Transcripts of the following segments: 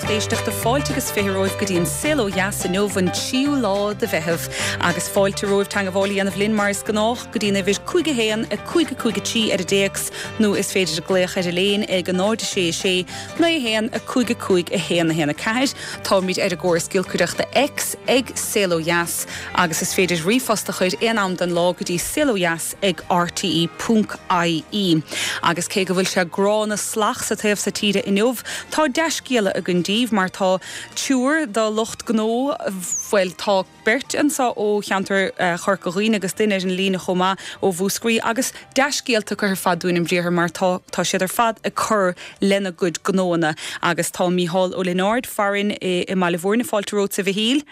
lucht éisteachta, fáilte agus 20 romhaibh go dtí an Saol Ó Dheas inniu, an tríú lá de Mheitheamh. Agus fáilte romhaibh teangabháil a dhéanamh linn mar is gnách go dtí an uimhir 5 1 5 5 3 ar an dtéacs nó is féidir glaoch ar an léin ag 0 6 6 9 1 5 5 1 1 4. Táimid ar an gcóras giolcaireachta X ag Saol Ó Dheas agus is féidir ríomhphost a chur aon am den lá go dtí saolodheas ag rte ponc ie. Agus cé go bhfuil sé gránna salach sa taobh so tíre inniu, tá dea-scéala againn daoibh mar tá triúr de lucht gnó, bhuel, tá beirt anseo ó cheantar Chorca Dhuibhne agus duine ar an líne chomh maith ó Mhúscraí agus dea-scéalta acu ar fad dúinn i mbriathar mar tá tá siad ar fad ag cur lena gcuid gnóanna. Agus tá Mícheál Ó Lionáird farainn i mBaile Mhúirne, fáilte romhatsa a Mhichíl.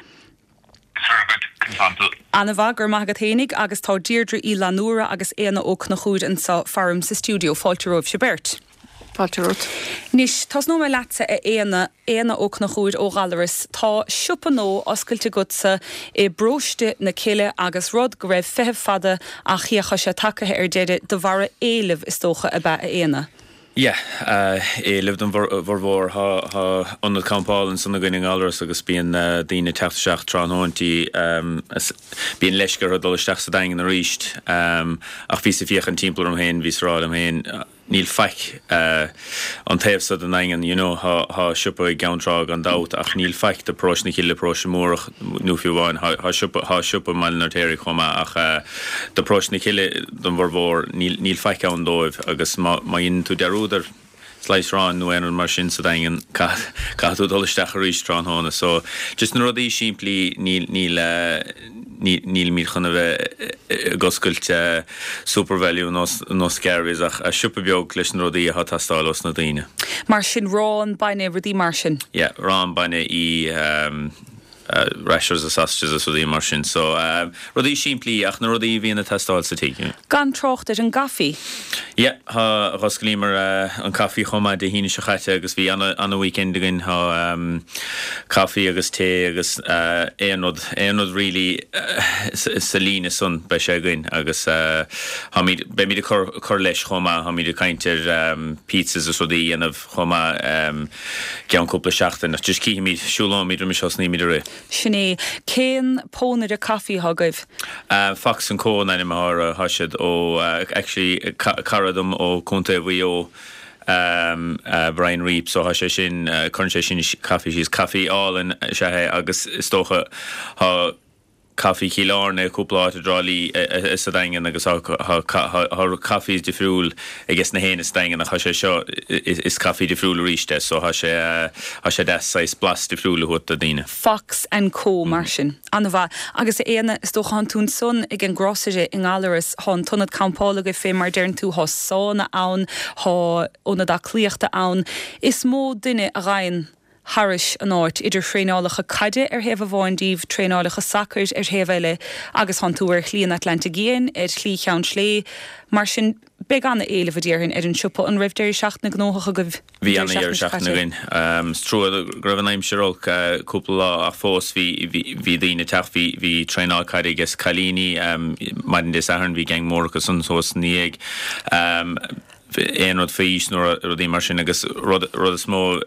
Ana-mhaith, go raibh maith agat fhéinig, agus tá Deirdre Uí Fhlannúra agus Éanna Ó Conchúir anseo faram sa stiúideo. Fáilte romhaibhse beirt. Fáilte romhat. Anois, tosnóidh mé leatsa, a Éanna, Éanna Ó Conchúir ó Ghallaras. Tá siopa nua oscailte agatsa i bParóiste na Cille agus rud go raibh feitheamh fada ach féach tá sé tagaithe ar deireadh de bharra éilimh is dócha, ab ea, a Éanna? Yeah, éileamh don bhformhór. Tá ionad campála ansan againn i nGallaras agus bíonn daoine ag teacht isteach tráthnóintí. Bíonn leisce orthu dul isteach sa Daingean arís. Ach bhíos ag féachaint timpeall orm féin, bhíos ag rá liom féin, níl faic an taobh so den Daingean, you know, tá siopa i gCeann Trá gan dabht ach níl faic do Paróiste na Cille, Paróiste Múrach nó fiú amháin, tá siopa, tá siopa i mBaile an Fheirtéaraigh chomh maith ach do Paróiste na Cille, don bhformhór, níl faic ann dóibh agus má dheineann tú dearúd ar slice aráin nó aon rud mar sin sa Daingean, caithfidh tú dul isteach arís tráthnóna. So, just na rudaí simplí, níl, níl, nílimid chun a bheith ag oscailt Supervalu nó nó Scarvey's ach siopa beag leis na rudaí atá ag teastáil ós na daoine. Mar sin, arán, bainne, rudaí mar sin. Yeah, arán, bainne, í. Rashers agus sausages agus rudaí mar sin. So, rudaí simplí ach na rudaí a bhíonn ag teastáil sa tigh. Gan trácht ar an gcaife. Yeah, tá, dh'osclaíomar an caife chomh maith Dé hAoine seo chaite agus bhí ana, ana weekend againn. Tá caife agus tae agus aon rud, aon rud really sa líne san beidh sé againn agus táimid, beimid ag cur, cur leis chomh maith. Táimid ag caint ar pizzas agus rudaí a dhéanamh chomh maith. gceann cúpla seachtain. Ach just cífimid, siúlóimid roimis thosnaímid ag rith. Sin é. Cén pónaire caife atá agaibh? Fox and Co an ainm atá orthu. Tá siad ó, actually, cara dom ó Contae Mhaigh Eo, Brian Reap, so tá sé sin, cuireann sé sin caife síos. Caife álainn is ea é agus is dócha tá, Caife Chill Airne i cúpla áit i dTrá Lí sa Daingean agus tá caife difriúil ages na héinne sa Daingean ach tá sé seo, is caife difriúil arís é so tá sé tá sé deas saghas blas difriúil a thabhairt do daoine. Fox and Co mar sin. An-mhaith. Agus a Éanna, is dócha thánn tú ansan ag an grocery i nGallaras, thá an t-ionad campála agaibh fé mar deireann tú, thá sána ann, thá ionad aclaíochta ann. Is mó duine a ghabhann thairis an áit, idir thraenálacha caide ar thaobh amháin díobh, traenálacha sacair ar thaobh eile, agus thánn tú ar Shlí an Atlantaigh Fhiáin, ar Shlí Cheann Sléibhe, mar sin beidh an-éileamh, a déarfainn, ar an siopa. An raibh deireadh seachtaine gnóthach agaibh an Bhí deireadh an-deireadh seachtaine seo seachtaine caite? againn. Is trua go raibh an aimsir olc cúpla lá ach fós bhí bhí daoine ag teacht, bhí bhí traenáil caide ages cailíní maidin Dé Sathairn, bhí gang mór acu san thuas ina dhiaidh. aon rud faoi aois nó rudaí mar sin agus rud rud is mó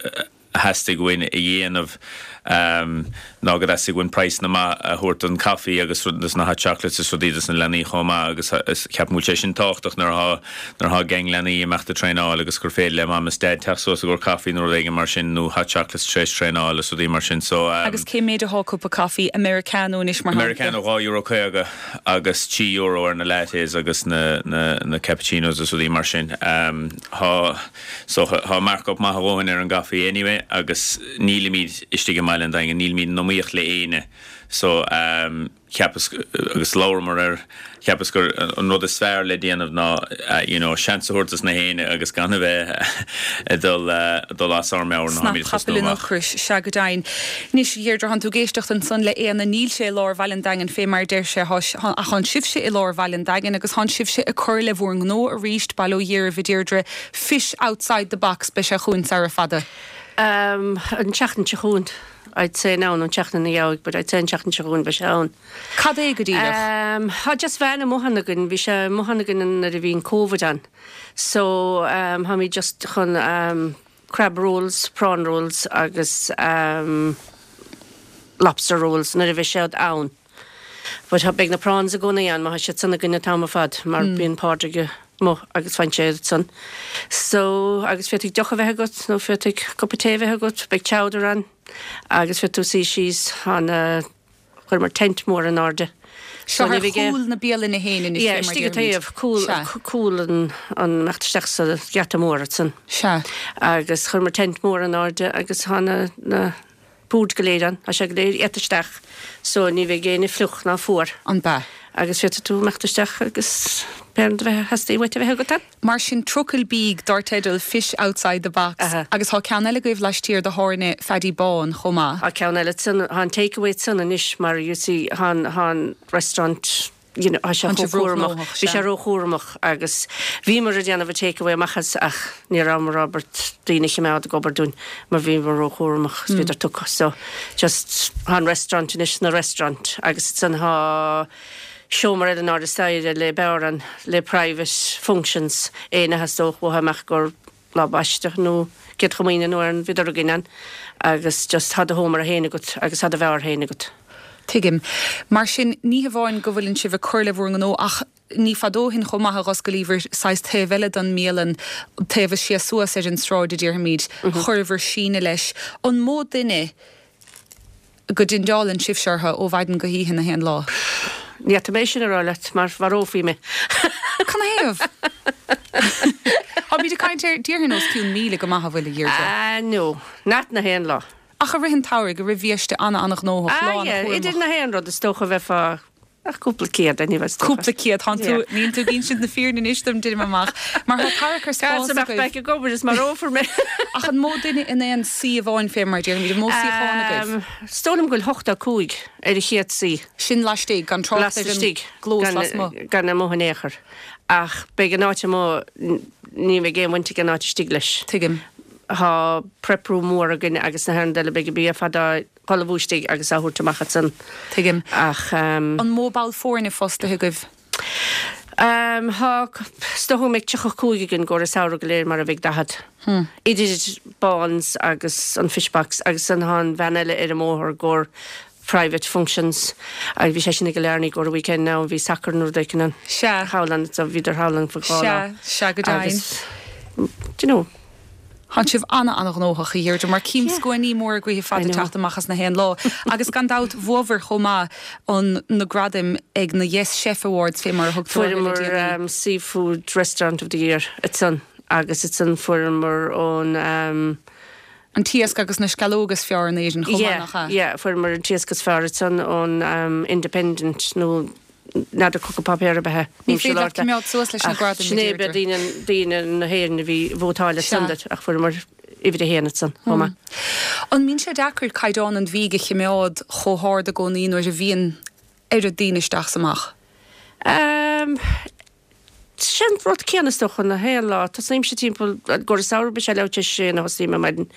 a theastaigh uainn a dhéanamh ná go dteastaigh uainn praghsanna maith a thabhairt don caife agus dos na hot chocolates is rudaí dos na leanaí chomh maith agus ceapaim go bhfuil sé sin tábhachtach nuair atá nuair atá gang leanaí ag imeacht ag traenáil agus gur féidir le mam is dad teacht suas i gcomhair caife nó rud éigin mar sin nó hot chocolates tar éis traenáil is rudaí mar sin so. Agus cé méid atá cupa caife Americano anois mar shampla? Americano €2.50. agus €3 ar na lattes agus na na cappuccinos is rudaí mar sin. Tá so tá markup maith a dhóthain ar an gcaife anyway agus nílimid istigh i mbaile an Daingin, nílimid in iomaíocht le éinne so cheapas agus labhramar air, cheapas gur an rud is fearr le déanamh ná you know seans a thabhairt dos na héinne agus gan a bheith ag dul dul as ár meabhair nuair atáimid ag tosnú Cnap capaill an amach. ocrais, sea go deimhin. Anois, a Dheirdre, thánn tú ag éisteacht ansan le Éanna, níl sé i lár bhaile an Daingin fé mar a deir sé, thá, ach thánn sibhse i lár bhaile an Daingin agus thánn sibhse ag cur le bhúr ngnó arís, bail ó Dhia oraibh, a Dheirdre, fish outside the box, beidh sé chugainn sara fada. An tseachtain seo chugainn, I'd say now, nó an tseachtain ina dhiaidh, but I'd say an tseachtain seo chugainn beidh sé ann. Cad é go díreach? Tá just veain amuigh ann againn, bhí sé amuigh ann againn nuair a bhí an Covid ann, so táimid just chun. crab rolls, prawn rolls agus ehm lobster rolls nuair a bheidh siad ann. But tá, beidh na prawns i gcónaí ann má tá siad san againn an t-am ar fad mar bíonn Pádraig amuigh agus faigheann sé iad san. So, agus féadfaidh deoch a bheith agat nó féadfaidh cupa tae a bheith agat, beidh chowder ann agus féadfaidh tú suí síos, tá na, chuireamar tent mór in airde. Seo ar chúl na bialainne féin anois, Yeah, istigh an taobh, cúl, cúl an, an imeacht isteach sa gheata mór ansan. Sea. Agus chuireamar tent mór in airde agus tá na, na, boird go léir ann, tá sé go léir iata isteach so ní bheidh éinne fliuch ná fuar. An bea? Agus féadfaidh tú imeacht isteach agus pé rud a bheith theastaigh uait a bheith agat ann. Mar sin trucail bídh dar teideal Fish Outside the Box agus tá ceann eile agaibh laistiar de thábhairne Phaddy Bán chomh maith. Tá ceann eile ansan, tá an takeaway ansan anois mar you see tá an, tá an restaurant you know, tá sé chomh cúramach, bhí sé róchúramach agus bhíomar ag déanamh an takeaway amach as ach ní rabhamar ábalta daoine a chimeád ag obair dúinn mar bhíomar róchúramach agus bhíodar tugtha so just tá an restaurant anois ina restaurant agus ansan tá seomra eile in airde staighre le beár ann le private functions éinne a theastódh uathu amach gur lá baiste nó Céad Chomaoine nó ar an bhíodar againn ann agus just tá do sheomra féin agat agus tá do bheár féin agat. Tuigim. Mar sin, ní hamháin go bhfuileann sibh ag cur le bhur ngnó ach ní fada ó shin chomh maith a dh'osclaíobhair saghas taobh eile den mbialann, taobh is sia suas ar an sráid a déarfaimid, chuireabhair síneadh leis. An mó duine go dteindeálann sibhse orthu ó mhaidin go hoíche na haon lá? Ní fhéadfaidh mé sin a rá leat mar mharófaí mé. Canathaobh? Táimid ag caint ar, déarfainn os cionn 1,000 go maith an bhfuil, a Dheirdre? Ah no, not na haon lá. Ach i rith an tsamhraidh, i rith bhiaiste ana-ana-ghnóthach, Ah lá yeah, ana-chúramach. idir na haon rud is dócha bheifeá Ach cúpla céad, anyway, is dócha. Cúpla céad. Tánn tú, níl tú ag insint na fírinne anois dom, deinim amach. Mar tá tarracar spáis agaibh. Caithfidh mé ag obair is marófar mé. Ach an mó duine in aon suí amháin fé mar a déarfaimid, an mó suíochán agaibh? Is dóigh liom go bhfuil 85 ar an chéad suí. Sin laistigh, gan trácht ar an gclós lasmuigh. Gan amuigh in aon chor. Ach beidh an áit amuigh, ní bheidh aon bhaint ag an áit istigh leis. Tuigim. Tá prep room mór againn agus na haon rud eile, beidh an bia ar fad á ullmhú istigh agus á thabhairt amach ansan. Tuigim. Ach. An mó ball foirne fostaithe agaibh? Tá, is dócha go mbeidh 35 againn i gcomhair an samhradh go léir mar a bheidh 40. Idir Báns agus an Fish Box agus ansan tá an bhean eile ar an mbóthar i gcomhair private functions agus bhí sé sin i gCill Airne i gcomhair an weekend now bhí sacar nó rud éicint ann. Sea. Thall ann so bhíodar thall ann for dhá lá. Sea, sea go deimhin. Agus, do you know. Tánn sibh ana-ana-ghnóthach, a Dheirdre, mar cím scuainí móra gaoithe fada teacht amach as na haon lá. Agus gan dabht, bhuabhair chomh maith an na gradaim ag na Yes Chef Awards, fé mar a thugtar orthu le déanaí. Fuaireamar Seafood Restaurant of the Year ansan agus ansan fuaireamar ón. An t-iasc agus na sceallóga is fearr in Éirinn chomh maith, nach ea? Yeah, yeah, fuaireamar an t-iasc is fearr ansan ón Independent nó n'fheadar cúpla páipéar ab ea. Ní féidir leat coimeád suas leis na gradaim, a Deirdre. Sin é, daoine na hÉireann a bhí ag vótáil ansan duit ach fuaireamar uimhir a haon ansan chomh maith. An mbíonn sé deacair caighdeán an bhídh a chimeád chomh hard i gcónaí nuair a bhíonn oiread daoine isteach 's amach? Sé an rud céanna is dócha na haon lá. Tosnaímse timpeall, i gcomhair an samhradh beidh sé leathuair tar éis a sé a thosaím ar maidin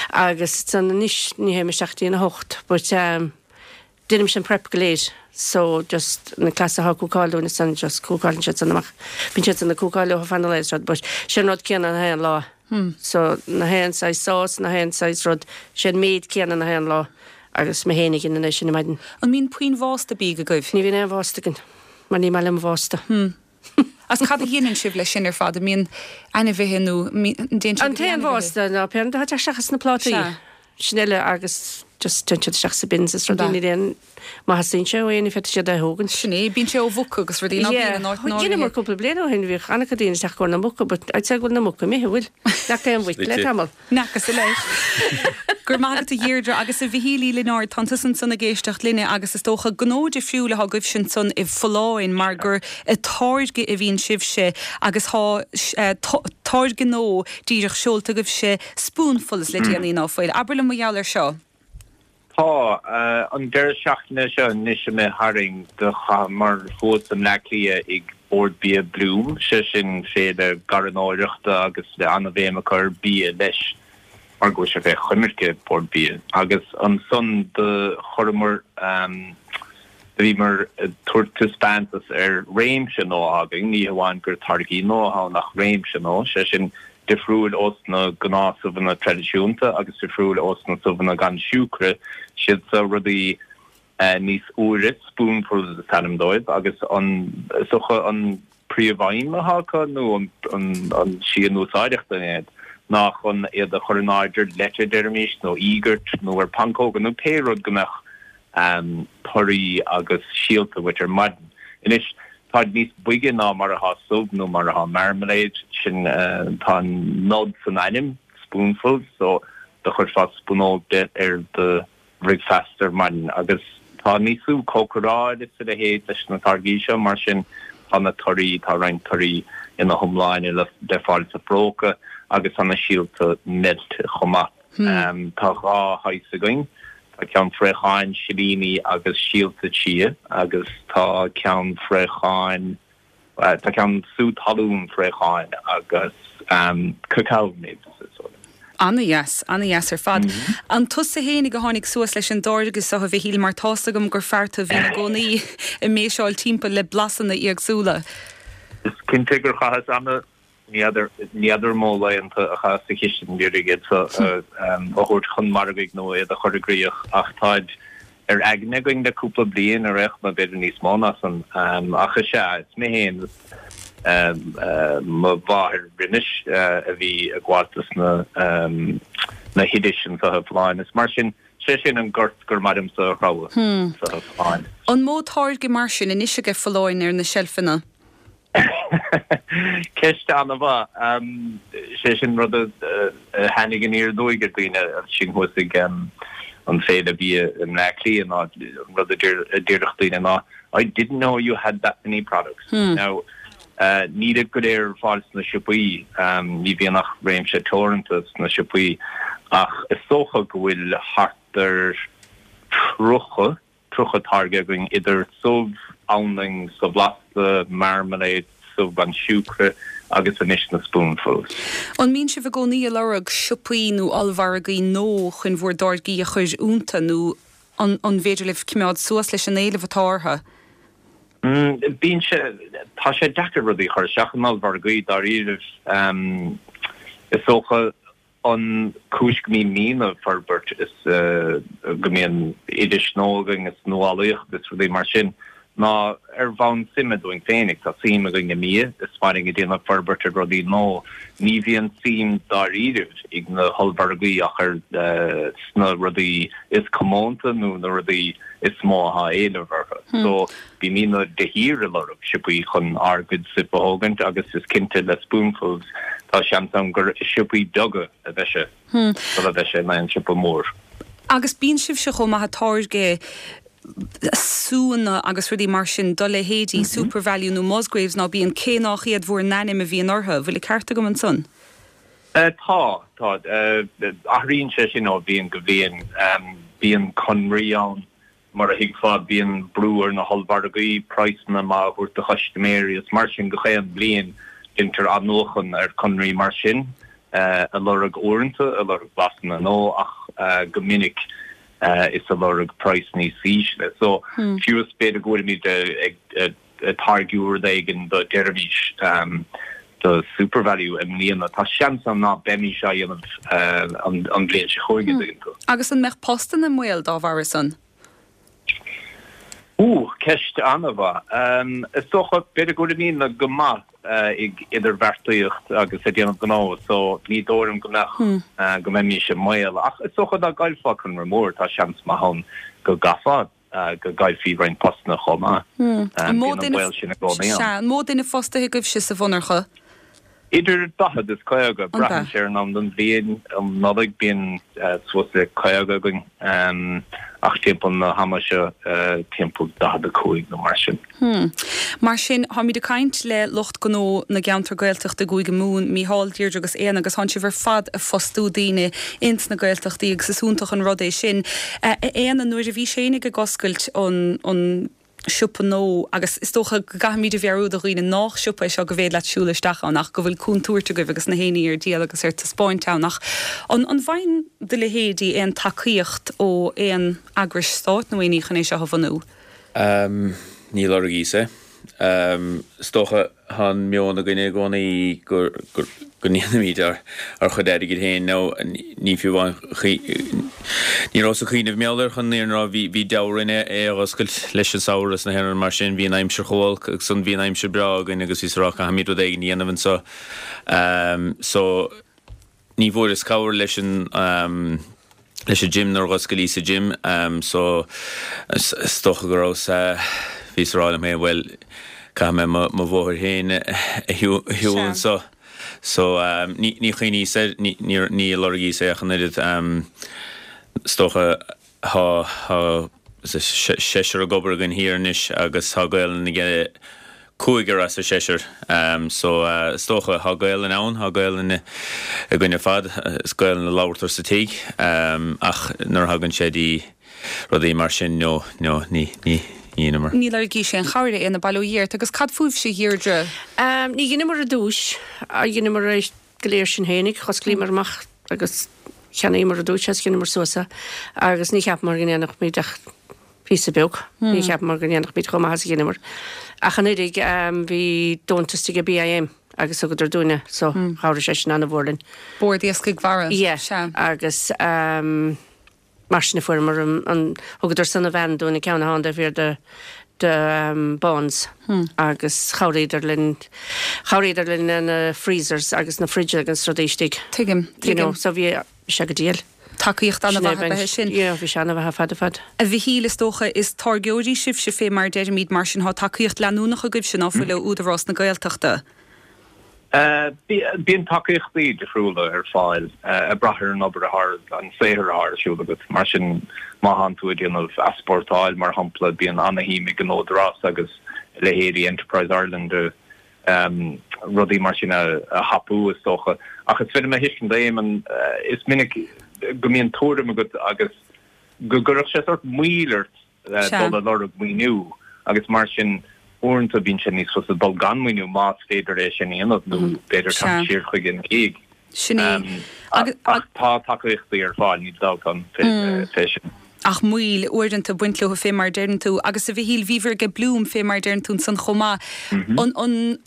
agus ansan anois ní théim isteach go dtí an 8 but Déanaimse an prep go léir so just na cleasa atá ag cúcáil dúinn ansan just cúcáileann siad san amach. Bíonn siad san ag cúcáil leo fan an lae is rud but sé an rud céanna na haon lá. So na haon saghas sauce, na haon saghas rud, sé an méid céanna na haon lá agus mé féin a dhéanann é sin ar maidin. An mbíonn puinn bhásta bídh agaibh? Ní bhíonn aon bhásta againn mar ní maith liom bhásta. Agus cad a dhéanann sibh leis sin ar fad? An mbíonn ainmhithe nó an dtéann sé An go dtí t-aon ainmhithe? bhásta ná pé rud atá ag teacht isteach as na plátaí. Sea. Sin uile agus just téann siad isteach sa bins is rudaí níl aon má theastaíonn sé ó éinne féadfaidh siad é a thógaint. Sin é, bíonn sé ó mhuca agus rudaí ná bíonn in áit Yeah, dheineamar cúpla bliain ó shin bhíodh an-chuid daoine isteach i gcomhair na muca but I'd say go bhfuil na muca imithe, bhfuil? Nach aon mhuic le tamall. N'fheacasa leis. Go raibh maith agat a Dheirdre agus a Mhichíl Uí Lionáird, tánn tusa ansan ag éisteacht linne agus is dócha gnó difriúil atá agaibhse ansan i Folláin mar gur ag táirgeadh a bhíonn sibhse agus tá táirge nua díreach seolta agaibhse Spoonfuls le déanaí, ná fuil? Abair liom mar gheall air seo. Tá. An deireadh seachtaine seo anois imithe tharainn do chaitheamar thuas i mBleá Cliath ag Bord Bia Bloom, sé sin féile garranóireachta agus le an-bhéim acu ar bia leis mar go bhfuil sé fé choimirce Bord Bia. Agus ansan do chuireamar, do bhíomar ag tabhairt taispeántas ar réimse nua againn, ní hamháin gur táirgí nua atá ann ach réimse nua, sé sin. Difriúil ós na gnáth-subhanna traidisiúnta agus difriúil ós na subhanna gan siúcra, siad seo rudaí níos úire, spoonfuls is ainm dóibh, agus an, is dócha an príomhfheidhm atá acu nó an tslí a n-úsáidtear iad ná chun iad a chur in airde ar leite, deirimis, nó íogart nó ar pancóga nó pé rud go mbeadh torthaí agus síolta uait ar maidin. Anois, táid níos boige ná mar atá subh nó mar atá marmalade, sin, tá an nod san ainm, spoonfuls, so do chuirfeá spúnóg de ar do bhricfeasta ar maidin. Agus tá níos lú cócaráil is a leithéid leis na táirgí seo, mar sin tá na torthaí, tá roinnt torthaí ina hiomláine le fáil sa phróca agus tá na síolta meilte chomh maith. Tá 2 shaghas againn. Tá ceann fraocháin, silíní agus síolta chia agus tá ceann fraocháin, tá ceann sú talún fraocháin agus cacao nibs is dóigh liom. Ana-dheas, ana-dheas ar fad. An tusa fhéinig a tháinig suas leis an dtáirge seo, a Mhichíl, mar tá's agam gur fear tú a bhíonn i gcónaí ag méiseáil timpeall le blasanna éagsúla. Is cinnte gur chaitheas ana Ní fheadar, ní fheadar an mó laethanta a chaitheas sa chistin ag iarraidh iad seo a thabhairt chun margaidh nó iad a chur i gcrích ach táid ar aigne againn le cúpla bliain ar aon chuma, b'fhéidir níos mó ná san. Ach is ea, is mé féin is mo mháthair roimis a bhí ag gabháil dos na na hoidis anseo i Folláin. Is mar sin, sé sin an gort gur maith liomsa a threabhadh anseo i Folláin. An mó táirge mar sin anois aige Folláin ar na seilfeanna? Ceist an-mhaith. Sé sin rud a tháinig aniar aduaidh ar daoine sinn thuas ag an Féile Bia i mBleá Cliath ná an rud a déarfadh daoine ná I didn't know you had that many products. Now, nílid go léir ar fáil sna siopaí, ní bhíonn ach réimse teoranta sna siopaí, ach is dócha go bhfuil thart ar 30, 30 táirge againn idir subh, anlainn, subh bhlasta, marmalade, subh gan siúcra agus anois na spoonfuls. An mbíonn sibh i gcónaí ag lorg siopaí nó ollmhargaí nó chun bhur dtáirgí a chur iontu nó an an bhféidir libh cimeád suas leis an éileamh atá orthu? Bíonn sé, tá sé deacair rudaí a chur isteach in ollmhargaí dáiríribh. Is dócha An chúis go mbímidne ag forbairt is go mbíonn oidis nua againn is nuálaíocht is rudaí mar sin ná ar bhonn suime dúinn féinig. Tá suim againn i mbia, is maith linn ag déanamh forbairt ar rudaí nua. Ní bhíonn suim dáiríribh ag na hollmhargaí ach ar sna rudaí is comónta nó na rudaí is mó atá éileamh orthu. So bímidne de shíor ag lorg siopaí chun ár gcuid suip a thógaint agus is cinnte le Spoonfuls tá seans ann gur i siopaí beaga a bheidh sé sula mbeidh sé in aon siopa mór. Agus bíonn sibhse chomh maith ag táirgeadh súnna agus rudaí mar sin do leithéidí Supervalu nó Musgraves ná bíonn, cé nách iad bhur n-ainm a bhíonn orthu. Bhfuil an ceart agam ansan? Tá, tá. Athraíonn sé sin ó bhliain go bliain. Bíonn conraí ann Mar a thuigfeá, bíonn brú ar na hollmhargaí praghsanna maith a thabhairt do chustaiméirí is mar sin gach aon bhliain deintear athnuachan ar conraí mar sin, a lorg uaireanta, a lorg blasanna nua ach go minic is a lorg praghas níos ísle. So, fiú is b'fhéidir go bhfuilimid ag táirgiú rud éigin do deirimis do Supervalu i mbliana, tá seans ann ná beimís á dhéanamh an bhliain seo chugainn, an dtuigeann tú. Agus an mbeadh postanna i mbaol dá bharra san? Ooh, ceist an-mhaith. Is dócha, b'fhéidir go bhfuilimidne go maith ag idirbheartaíocht agus ag déanamh gnó so ní dóigh liom go mbeadh, go mbeimis i mbaol. Ach is dócha dá gcaillfeá conradh mór, tá seans maith ann go gcaithfeá go gcaillfí roinnt postanna chomh maith. An mó Bíonn an baol sin i gcónaí ann. Sea, an mó duine fostaithe agaibhse sa mhonarcha? Idir 40 is 50, braitheann sé ar an am den bhliain. Um Nollaig bíonn suas le 50 againn, ach timpeall na hama seo timpeall 45 nó mar sin. Mar sin, táimid ag caint le lucht gnó na gceantar Gaeltachta i gCúige Mumhan, Mícheál, Deirdre agus Éanna, agus tánn sibh ar fad ag fostú daoine ins na Gaeltachtaí agus is iontach an rud é sin. A Éanna, nuair a bhís fhéinig ag oscailt an, an siopa nua, agus is dócha go gcaithfimid a mheabhrú do dhaoine nách siopa é seo go bhféad leat siúl isteach ann ach go bhfuil contúirt agaibh agus na héinní ar díol agus ar taispeáint ann ach an, an bhfaigheann do leithéidí aon tacaíocht ó aon eagrais stáit nó aon ní chun é seo a bhunú? Ní lorgaíos é. Is dócha, tá an meon againne i gcónaí go ndéanaimid ár chuid airgid féin. Now, ní fiú amháin, ní rabhas ag cuimhneamh mar gheall air chun an fhírinne a rá, bhí deabhadh orainn é a dh'oscailt leis an samhradh is na haon rud mar sin, bhí an aimsir chomh holc agus ansan bhí an aimsir breá againn agus bhíos ag rá caithfimid rud éigin a dhéanamh anseo. So. Ní bhfuaireas cabhair leis an leis an gym nuair a dh'oscailíos an gym so is dócha go rabhas bhíos ag rá liom féin bhuel caithfidh mé mo mo bhóthar féin a shiúl anseo so ní ní chuimhníos air ní ní ní lorgaíos é ach an oiread is dócha thá thá seisear ag obair againn thiar anois agus thá Gaelainn aige cúigear as an seisear. So is dócha, thá Gaelainn ann, thá Gaelainn againn ar fad, is Gaelainn a labhartar sa tigh ach nuair a thagann sé dtí rudaí mar sin, no, no, ní, ní dheineamar. Ní lorgaís aon chabhair, a Éanna, bail ó Dhia ort. Agus cad fúibhse, a Dheirdre? Ní dheineamar i dtús, dheineamar é go léir sinn fhéinig, dh'osclaíomar amach agus cheannaíomar i dtús é is dheineamar suas é agus ní cheapamar go ndéanfadh ach píosa beag. Ní cheapamar go ndéanfaimid chomh maith is a dheineamar. Ach an oiread, bhí deontas ag BIM agus thugadar dúinn é so chabhraigh sé sin an-mhór linn. Bord Iascaigh Mhara. Yeah. Sea. Agus mar sin a fuaireamar an, thugadar san an veain dúinn, an ceann atá ann taobh thiar de de Bonds agus chabhraíodar linn, chabhraíodar linn na freezers agus na fridges agus rudaí istigh. Tuigim, tuigim. You know, so bhí sé go diail. Tacaíocht an-mhaith ab ea é sin. Yeah, bhí sé an-mhaith ar fad ar fad. A Mhichíl, is dócha, is táirgeoirí sibhse fé mar a deirimid, mar sin thá tacaíocht leanúnach agaibhse, ná fuil, ó Údarás na Gaeltachta? Bíonn tacaíochtaí difriúla ar fáil ag brath ar an obair atá, an saothar atá ar siúl agat. Mar sin, má thánn tú ag déanamh easpórtáil, mar shampla, bíonn ana-shuim ag an Údarás agus a leithéidí Enterprise Ireland a rudaí mar sin a thapú, is dócha. Ach is féidir liom a thuiscint, Éamonn, is minic go mbíonn tuairim agat agus go gcuirfeadh sé sórt moill ort dul ag lorg maoiniú agus mar sin uaireanta bíonn sé níos fusa dul gan maoiniú más féidir é sin a dhéanamh nó b'fhéidir teacht siar chuige ina dhiaidh. Sin é. Ach tá tacaíochtaí ar fáil, níl dabht ann fé sin. Ach moill, uaireanta, ag baint leo fé mar a deireann tú. Agus a Mhichíl, bhíobhair aige Bloom fé mar a deireann tú ansan chomh maith. An, an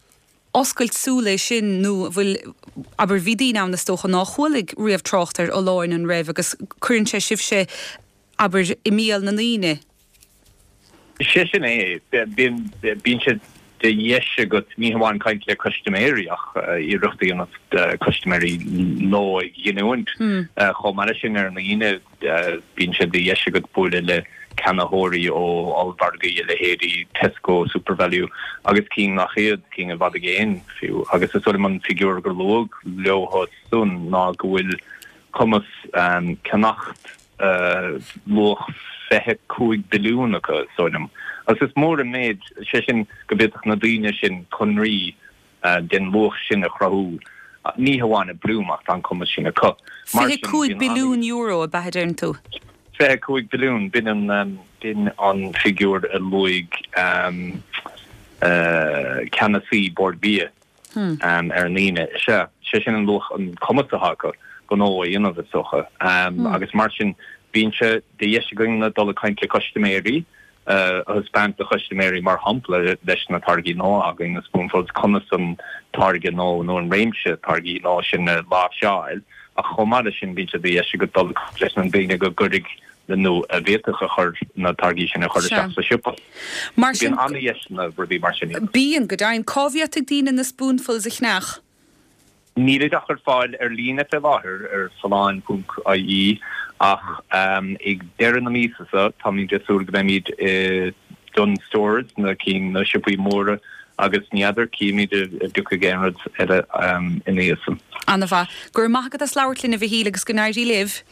oscailt súl é sin nó an bhfuil, abair, bhí daoine ann is dócha ná chualaigh riamh trácht ar Fholláin an raibh agus cuireann sé sibhse, abair, i mbéal na ndaoine. Sé sin é. Bíonn, bíonn sé de dheis agat ní hamháin caint le custaiméirí ach iarracht a dhéanamh custaiméirí nua a ghiniúint. Chomh maith leis sin, ar an Aoine bíonn sé de dheis agat bualadh le ceannaitheoirí ó ollmhargaí a leithéidí Tesco, Supervalu agus cinn nach iad, cinn i bhfad i gcéin fiú. Agus is dóigh liom an figiúr gur luadh leo san ná go bhfuil cumas ceannacht luach 25 billiún acu, is dóigh liom. Agus is mór an méid, sé sin, go bhféadfadh na daoine sin conraí den luach sin a chruthú, ní hamháin i Bloom ach tá an cumas sin acu. Mar sin, €25 billiún ab ea a deireann tú? 25 billiún, b'in an, b'in an figiúr a luaigh ceannasaí Bord Bia. ar an Aoine. Sea, sé sin an luach, an cumas atá acu gnó a dhéanamh, is dócha. Agus mar sin, bíonn sé de dheis againn dul ag caint le custaiméirí, a thaispeáint do chustaiméirí, mar shampla, leis na táirgí nua againn, na Spoonfuls, conas an táirge nua nó an réimse táirgí nua sin a láimhseáil. Ach chomh maith leis sin, bíonn sé de dheis agat dul ag caint leis na daoine go gcuirfidh nó a bhféadfadh a chur, na táirgí sin a chur isteach sa siopa. Mar sin. Bíonn an-dheiseanna rudaí mar sin. Bíonn, go deimhin. Cá bhféadfaidh daoine na Spoonfuls a cheannach? Nílid ach ar fáil ar líne fé láthair ar folláin.ie ach ag deireadh na míosa seo táimid ag súil go mbeimid i Dunnes Stores, na cinn, na siopaí móra agus ní fheadar, cífimid an dtiocfaidh aon rud eile ina dhiaidh san. Ana-mhaith. Go raibh maith agat as labhairt linn a Mhichíl agus go n-éirí libh.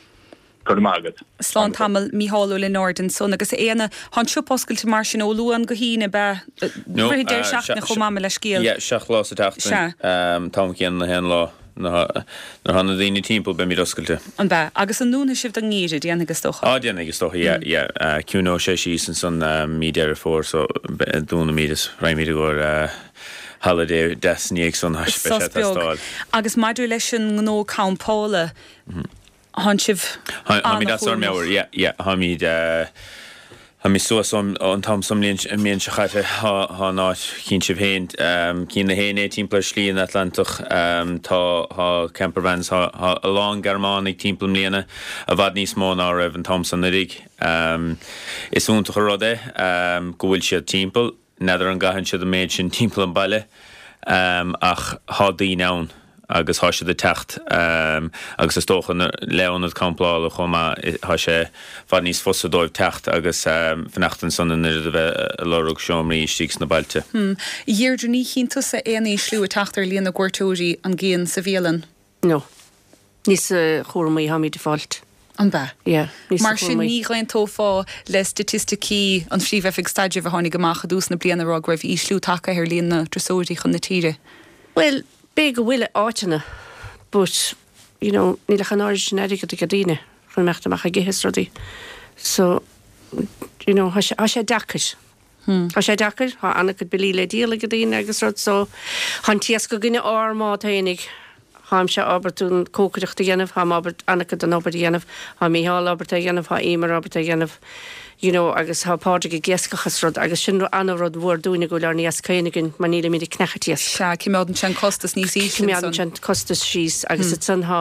Go raibh maith agat. Slán tamall, Mícheál Ó Lionáird ansan. Agus a Éanna, tá an siopa oscailte mar sin ó Luan go hAoine, ab ea? No, Rith an deireadh seachtaine chomh maith, mo leithscéal. Yeah, 7 lá sa tseachtain. Sea. An t-am céanna na haon lá. Nuair atá na daoine timpeall, beimid oscailte. An ea? Agus an ndúnfaidh sibh don ngeimhreadh? Déanfaidh, is dócha. Á, déanfaidh, is dócha, yeah, yeah. Ciúnóidh sé síos ansan mí Deireadh Fómhair so dúnfaimid is raghaimid i gcomhair holiday deas ina dhiaidh san, beidh sé Sos ag beag. teastáil. Agus maidir leis an ngnó campála, Thánn sibh Táimid as ár an-chúramach. meabhair, yeah, yeah, táimid, eh, Tháimid suas an t-am san an mbliain seo chaite. Tá an áit, chíonn sibh féin, cíonn na héinne é timpeall ar Shlí an Atlantach. Tá campervans, tá a lán Gearmánaigh timpeall i mbliana, i bhfad níos mó ná a raibh an t-am san anuraidh. Is iontach an rud é go bhfuil siad timpeall. N'fheadar an gcaitheann siad an méid sin timpeall an baile ach thá daoine ann agus thá siad ag teacht agus is dócha le ionad camplála chomh maith thá sé i bhfad níos fusa dóibh teacht agus fanacht ansan in oiread a bheith ag lorg seomraí istigh sna bailte. A Dheirdre, ní chíonn tusa aon ísliú ag teacht ar líon na gcuairteoirí, an gcíonn, sa bhialann? No. Níos cúramaí tháimid ag fáilt. An b'ea? Yeah, níos Mar sin ní dh'aontófá le staitisticí an Phríomh-Oifig Staidrimh a tháinig amach i dtús na bliana ag rá go raibh ísliú tagtha ar líon na dturasóirí chun na tíre? Bhuel, b'fhéidir go bhfuil i áiteanna but, you know, níl ach an oiread sin airgead ag daoine chun imeacht amach ag ithe is rudaí. So, you know, thá sé, thá sé deacair. Tá sé deacair, tá an-chuid billí le díol ag daoine agus rud so tá an t-iasc againne ár mbád fhéinig. Táimse ábalta an cócaireacht a dhéanamh, táim ábalta an-chuid den obair a dhéanamh, tá Mícheál ábalta é a dhéanamh, tá Emer ábalta é a dhéanamh you know agus tá Pádraig ag iascach is rud agus sin an-rud mhór dúinne go bhfuil ár n-iasc féin againn mar nílimid ag ceannacht iasc. Sea, coimeádann sé an costas níos ísle ansan. Coimeádann sé an costas síos agus ansan tá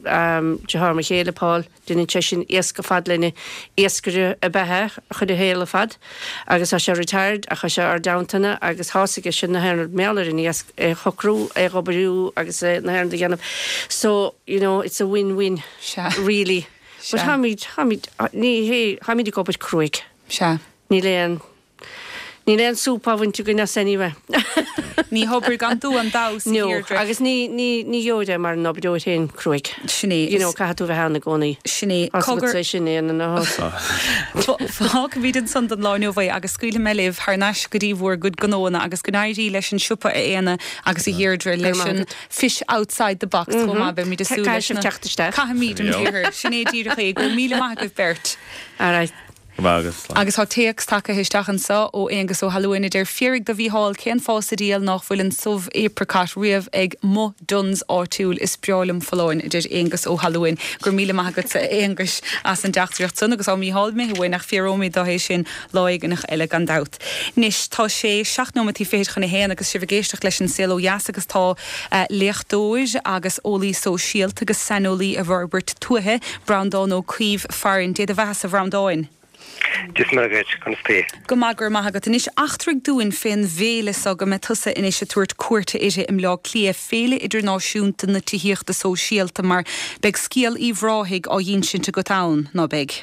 deartháir mo chéile, Paul, Déanann sé sin iasc ar fad linn. Iascaire ab ea é a chuid a shaol ar fad agus tá sé retired ach tá sé ár dteannta agus tá 's aige sin na haon rud mar gheall ar an iasc é a shocrú, é a dh'oibriú agus é na haon rud a dhéanamh. So, you know, it's a win-win Sea. really. Sea. But táimid, táimid, ní hé, táimid ag obair cruaidh. Sea. Níl aon. Níl aon súp á bhaint againn as anyway. Ní hobair gan dua an damhsa, a No, Dheirdre. agus ní, ní, ní gheobhair é mara n-oibreoir féin cruaidh. Sin é. You know, caithfidh tú bheith ann i gcónaí. Sin é. Tá 's agat sin é ina Fágfaimid ansan don lá inniu é agus scaoilfidh mé libh thar n-ais go dtí bhur gcuid gnóanna agus go n-éirí leis an siopa a Éanna agus a Dheirdre leis an fish outside the box chomh maith. Beimid ag súil leis na. Caithfidh sibh teacht isteach. Caithfimid an briathar. Sin é díreach é. Go raibh míle maith agaibh beirt. All right. Agus. Agus tá téacs tagtha isteach anseo ó Aonghus Ó hAlmhain a deir, Fiafraigh de Mhícheál cén fáth sa diabhal nách bhfuil an subh apricot riamh ag mo Dunnes áitiúil. Is breá liom folláin, a deir Aonghus Ó hAlmhain. Go raibh míle maith agatsa, a Aonghuis, as an dteachtaireacht san. Agus tá Mícheál imithe uainn ach fiafróimid de é sin lá éigineach eile gan dabht. Anois, tá sé seacht nóimeataí fichid chun a haon agus sibh ag éisteacht leis An Saol Ó Dheas agus tá léachtóir agus eolaí sóisialta agus saineolaí i bhforbairt tuaithe, Breandán Ó Caoimh farainn. Dé do bheathasa, a Bhreandáin. Dia is Muire dhuit, conas taoi? Go maith, go raibh maith agat. Anois, eachtraigh dúinn fén bhféile so go mbeidh tusa anois ag tabhairt cuairte uirthi i mBleá Cliath, Féile Idirnáisiúnta na Tithíochta Sóisialta, mar beidh scéal Uíbh Ráthaigh á dh'insint agat ann, ná beidh?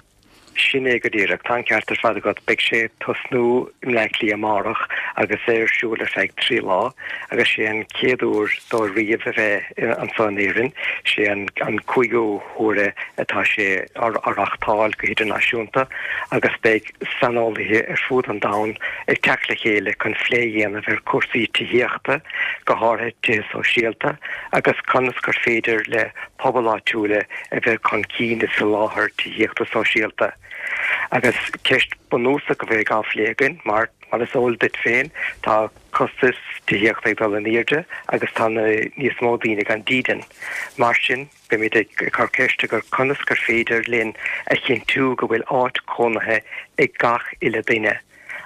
Sin é go díreach. Tá an ceart ar fad agat. Beidh sé ag tosnú i mBleá Cliath amárach agus é ar siúl ar feadh 3 lá agus sé an chéad uair dó riamh a bheith anseo in Éirinn. Sé an cúigiú huair é atá sé á reáchtáil go hidirnáisiúnta agus beidh saineolaithe ar fud an domhain ag teacht le chéile chun phlé a dhéanamh ar chúrsaí tithíochta, go háirithe tithe sóisialta, agus conas gur féidir le pobail áitiúla a bheith chun cinn i soláthar tithíochta sóisialta. Agus ceist bunúsach a bheidh á phlé againn, mar, mar is eol duit féin, tá costais tithíochta ag dul in airde agus tá níos mó daoine gan dídean. Mar sin, beimid ag cur ceiste gur conas gur féidir linn a chinntiú go bhfuil áit chónaithe ag gach uile duine.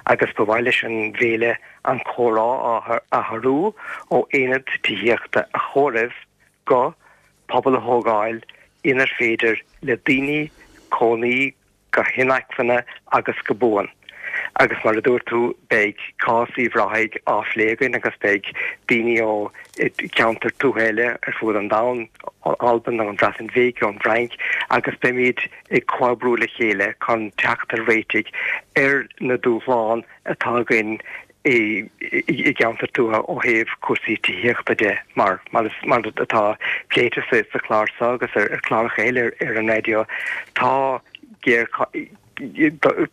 Agus ba mhaith leis an bhféile an comhrá a athrú ó aonad tithíochta a chomhaireamh go pobal a thógáil inar féidir le daoine cónaí go hinacmhainne agus go buan. Agus mar a dúirt tú, beidh cás Uíbh Ráthaigh á phlé againn agus beidh daoine ó cheantair tuaithe eile ar fud an domhain, ó Albain, ón Bhreatain Bhig, ón bhFrainc, agus beimid ag comhoibriú le chéile chun teacht ar réitigh ar na dúshláin atá againn i gceantair tuaithe ó thaobh cúrsaí tithíochta de, mar mar atá pléite sa chlár seo agus ar chláracha eile ar an raidió, tá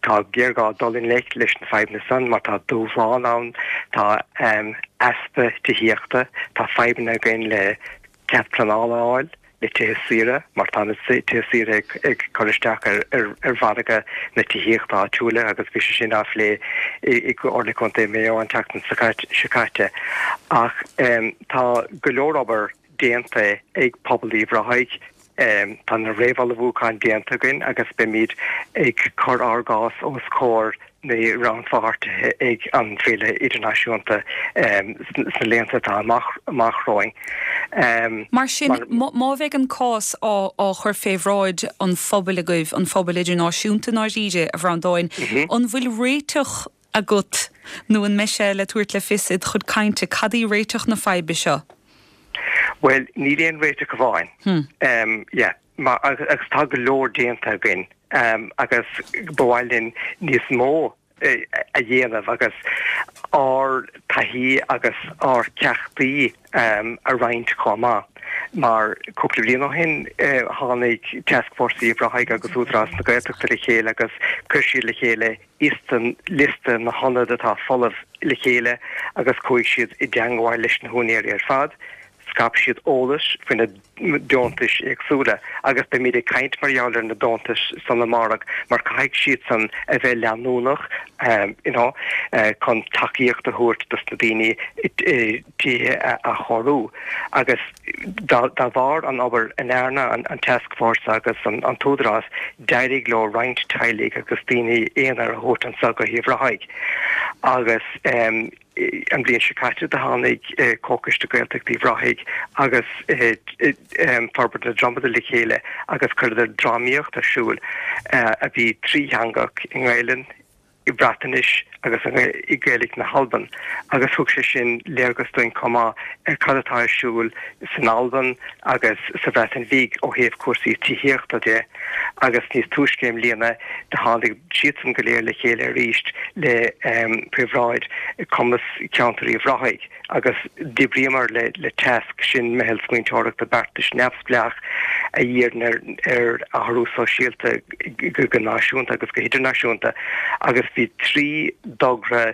tá géarghá dul i ngleic leis na fadhbanna san mar tá dúshlán ann, tá easpa tithíochta, tá fadhbanna againn le cead pleanála a fháil. le tithe saoire, mar tá na tithe saoire ag cur isteach ar mhargadh na tithíochta áitiúla agus bhí sé sin á phlé i gComhairle Contae Mhaigh Eo an tseachtain seo caite. Ach tá go leor obair déanta ag pobal Uíbh Ráthaigh. Tá na réamhullmhúcháin déanta againn agus beimid ag cur ár gcás os comhair na rannpháirtithe ag an bhFéile Idirnáisiúnta sna laethanta atá amach romhainn. Mar sin, má bheidh an cás á chur fé bhráid an phobail agaibh, an phobail idirnáisiúnta i ndáiríre, a Bhreandáin, an bhfuil réiteach agat nó an mbeidh sé le tabhairt le fios id chuid cainte? Cad í réiteach na faidhbe seo? Bhuel, níl aon réiteach amháin. Yeah. Mar, agus tá go leor déanta againn agus ba mhaith linn níos mó a dhéanamh agus ár dtaithí agus ár gceachtaí a roinnt chomh maith. Mar cúpla bliain ó shin tháinig Tascfhórsa Uíbh Ráthaigh agus Údarás na Gaeltachta le chéile agus chuir siad le chéile liosta na hionad atá folamh le chéile agus chuaigh siad i dteangmháil leis na húinéirí ar fad. Scaip siad eolas faoi na deontais éagsúla agus beimid ag caint mar gheall ar na deontais san amárach mar caithfidh siad san a bheith leanúnach you know chun tacaíocht a thabhairt dos na daoine tithe a athchóiriú agus dá bharr an obair a ndearna an tascfhórsa agus an tÚdarás d'éirigh leo roinnt teaghlaigh agus daoine aonair a thabhairt anso go hUíbh Ráthaigh agus an bhliain seo caite do tháinig Comhchoiste Gaeltachta Uíbh Ráthaigh agus Forbairt na Dromada le chéile agus chuireadar drámaíocht ar siúl a bhí trítheangach i nGaelainn, i Breatnais agus i Gaeilge na hAlban agus thug sé sin léargas dúinn chomh maith ar cad atá ar siúl san Albain agus sa Bhreatain Bhig ó thaobh cúrsaí tithíochta de agus níos túisce i mbliana do tháinig siadsan go léir le chéile arís le faoi bhráid Cumas Ceantar Uíbh Ráthaigh. agus d'oibríomar le Tasc, sin meitheal smaointeoireachta beartais neamhspleách a dhíríonn ar athrú sóisialta go náisiúnta agus go hidirnáisiúnta agus bhí 3 dtogra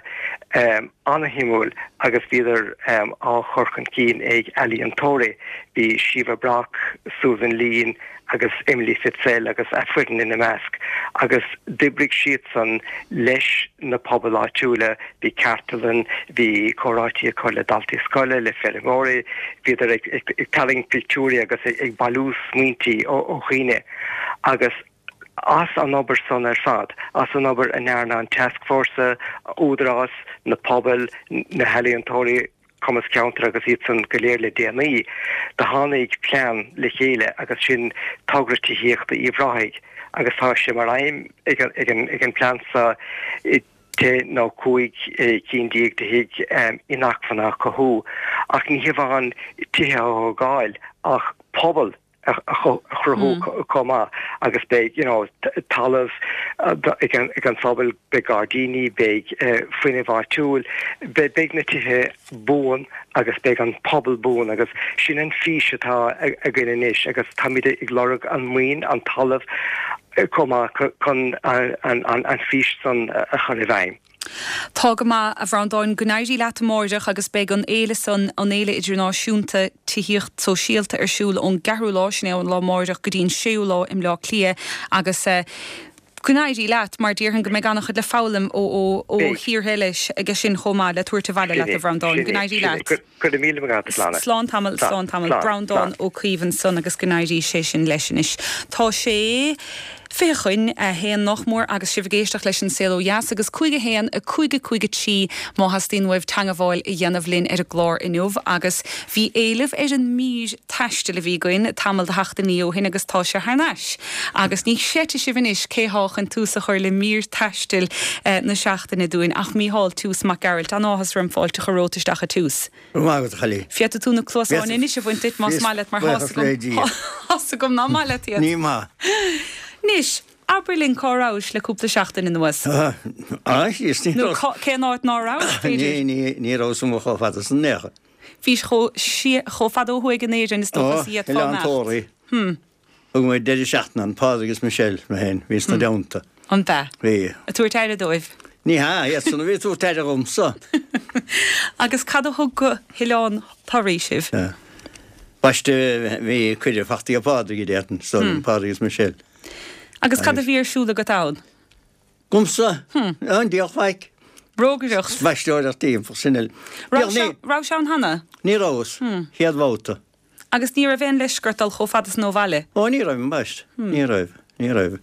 an-shuimiúil agus bhíodar á chur chun cinn ag ealaíontóirí. Bhí Síomha Brock, Susan Leen, agus Emily Fitzell agus a foireann ina measc, agus d'oibrigh siadsan leis na pobail áitiúla, bhí cartlann, bhí comhráití acu le daltaí scoile, le feirmeoirí, bhíodar ag tarraingt pictiúirí agus ag bailiú smaointí ó dhaoine agus as an obair san ar fad, as an obair a ndearna an tascfhórsa, Údarás, na pobail, na healaíontóirí, Cumas Ceantair agus iadsan go léir le déanaí, do tháinig plean le chéile agus sin Togra Tithíochta Uíbh Ráthaigh agus tá sé mar aidhm ag an bplean seo 10 nó 15 cinn de thigh inacmhainne a chothú ach ní hamháin tithe a thógáil ach pobal a chruthú chomh maith agus beidh you know talamh ag an phobal, beidh gairdíní, beidh fuinneamh áitiúil, beidh na tithe buan agus beidh an pobal buan agus sin an fís atá againn anois agus táimid ag lorg an maoin, an talamh chomh maith chun an fís san a chur i bhfeidhm. Tá go maith, a Bhreandáin. Go n-éirí leat amáireach agus beidh an fhéile san, an Fhéile Idirnáisiúnta Tithíocht Sóisialta ar siúl ón gceathrú lá, sin é ón lá amáireach, go dtí an séú lá i mBleá Cliath agus go n-éirí leat mar déarfainn go mbeidh an-chuid le foghlaim ó ó thíortha eile aige sin chomh maith le tabhairt abhaile leat, a Bhreandáin. Go n-éirí leat. Go raibh míle maith agat, a Shláine. Slán tamall, slán tamall. Breandán Ó Caoimh ansan agus go n-éirí sé sin leis anois. Tá sé 20 chun a haon nach mór agus sibh ag éisteacht leis An Saol Ó Dheas agus 5 1 5 5 3 má theastaíonn uaibh teangabháil a dhéanamh linn ar an gclár inniu agus bhí éileamh ar an mír taistil a bhí againn tamall de sheachtainí ó shin agus tá sé thar n-ais agus ní chreidfidh sibh anois cé thá chun tús a chur le mír taistil na seachtaine dúinn ach Mícheál Toose Mac Gearailt. An-áthas orm fáilte a chur romhat isteach a Toose. Go raibh maith agat, a chailín. Féadfaidh tú na cluasáin anois a bhaint duit más maith leat mar thá's agam, thá's agam ná maith leat iad. Ní maith. Anois, abair linn cá rabhais le cúpla seachtain anuas. Ah, síos, ní raibh. Nó cén áit ná rabhais, b'fhéidir? Ní, ní rabhas amuigh chomh fada san in aon chor. Bhís chomh fada ó thuaidh in Éirinn is dócha is a d'fhéadfá imeacht. Oileán Tóraí. Hmm. Thug muid deireadh seachtaine ann, Pádraig is Michelle, mé féin, bhíos 'na dteannta. An b'ea? Bhí. Ag tabhairt aire dóibh? Ní hea, iadsan a bhí ag tabhairt aire dhomsa. Agus cad a thug go hOileán Thoraí sibh? Baiste, bhí cuireadh fachta ag Pádraig, a déarfainn, is dóigh liom, Pádraig is Michelle. Agus cad a bhí ar siúl agat ann? Agamsa? An diabhal faic. Rógaireacht. Spaisteoireacht timpeall, sin uile. Raibh sé ann cheana? Ní rabhas. Chéad bhabhta. Agus ní raibh aon leisce ort dul chomh fada san ó bhaile? Ó ní raibh, ambaist. Ní raibh, ní raibh.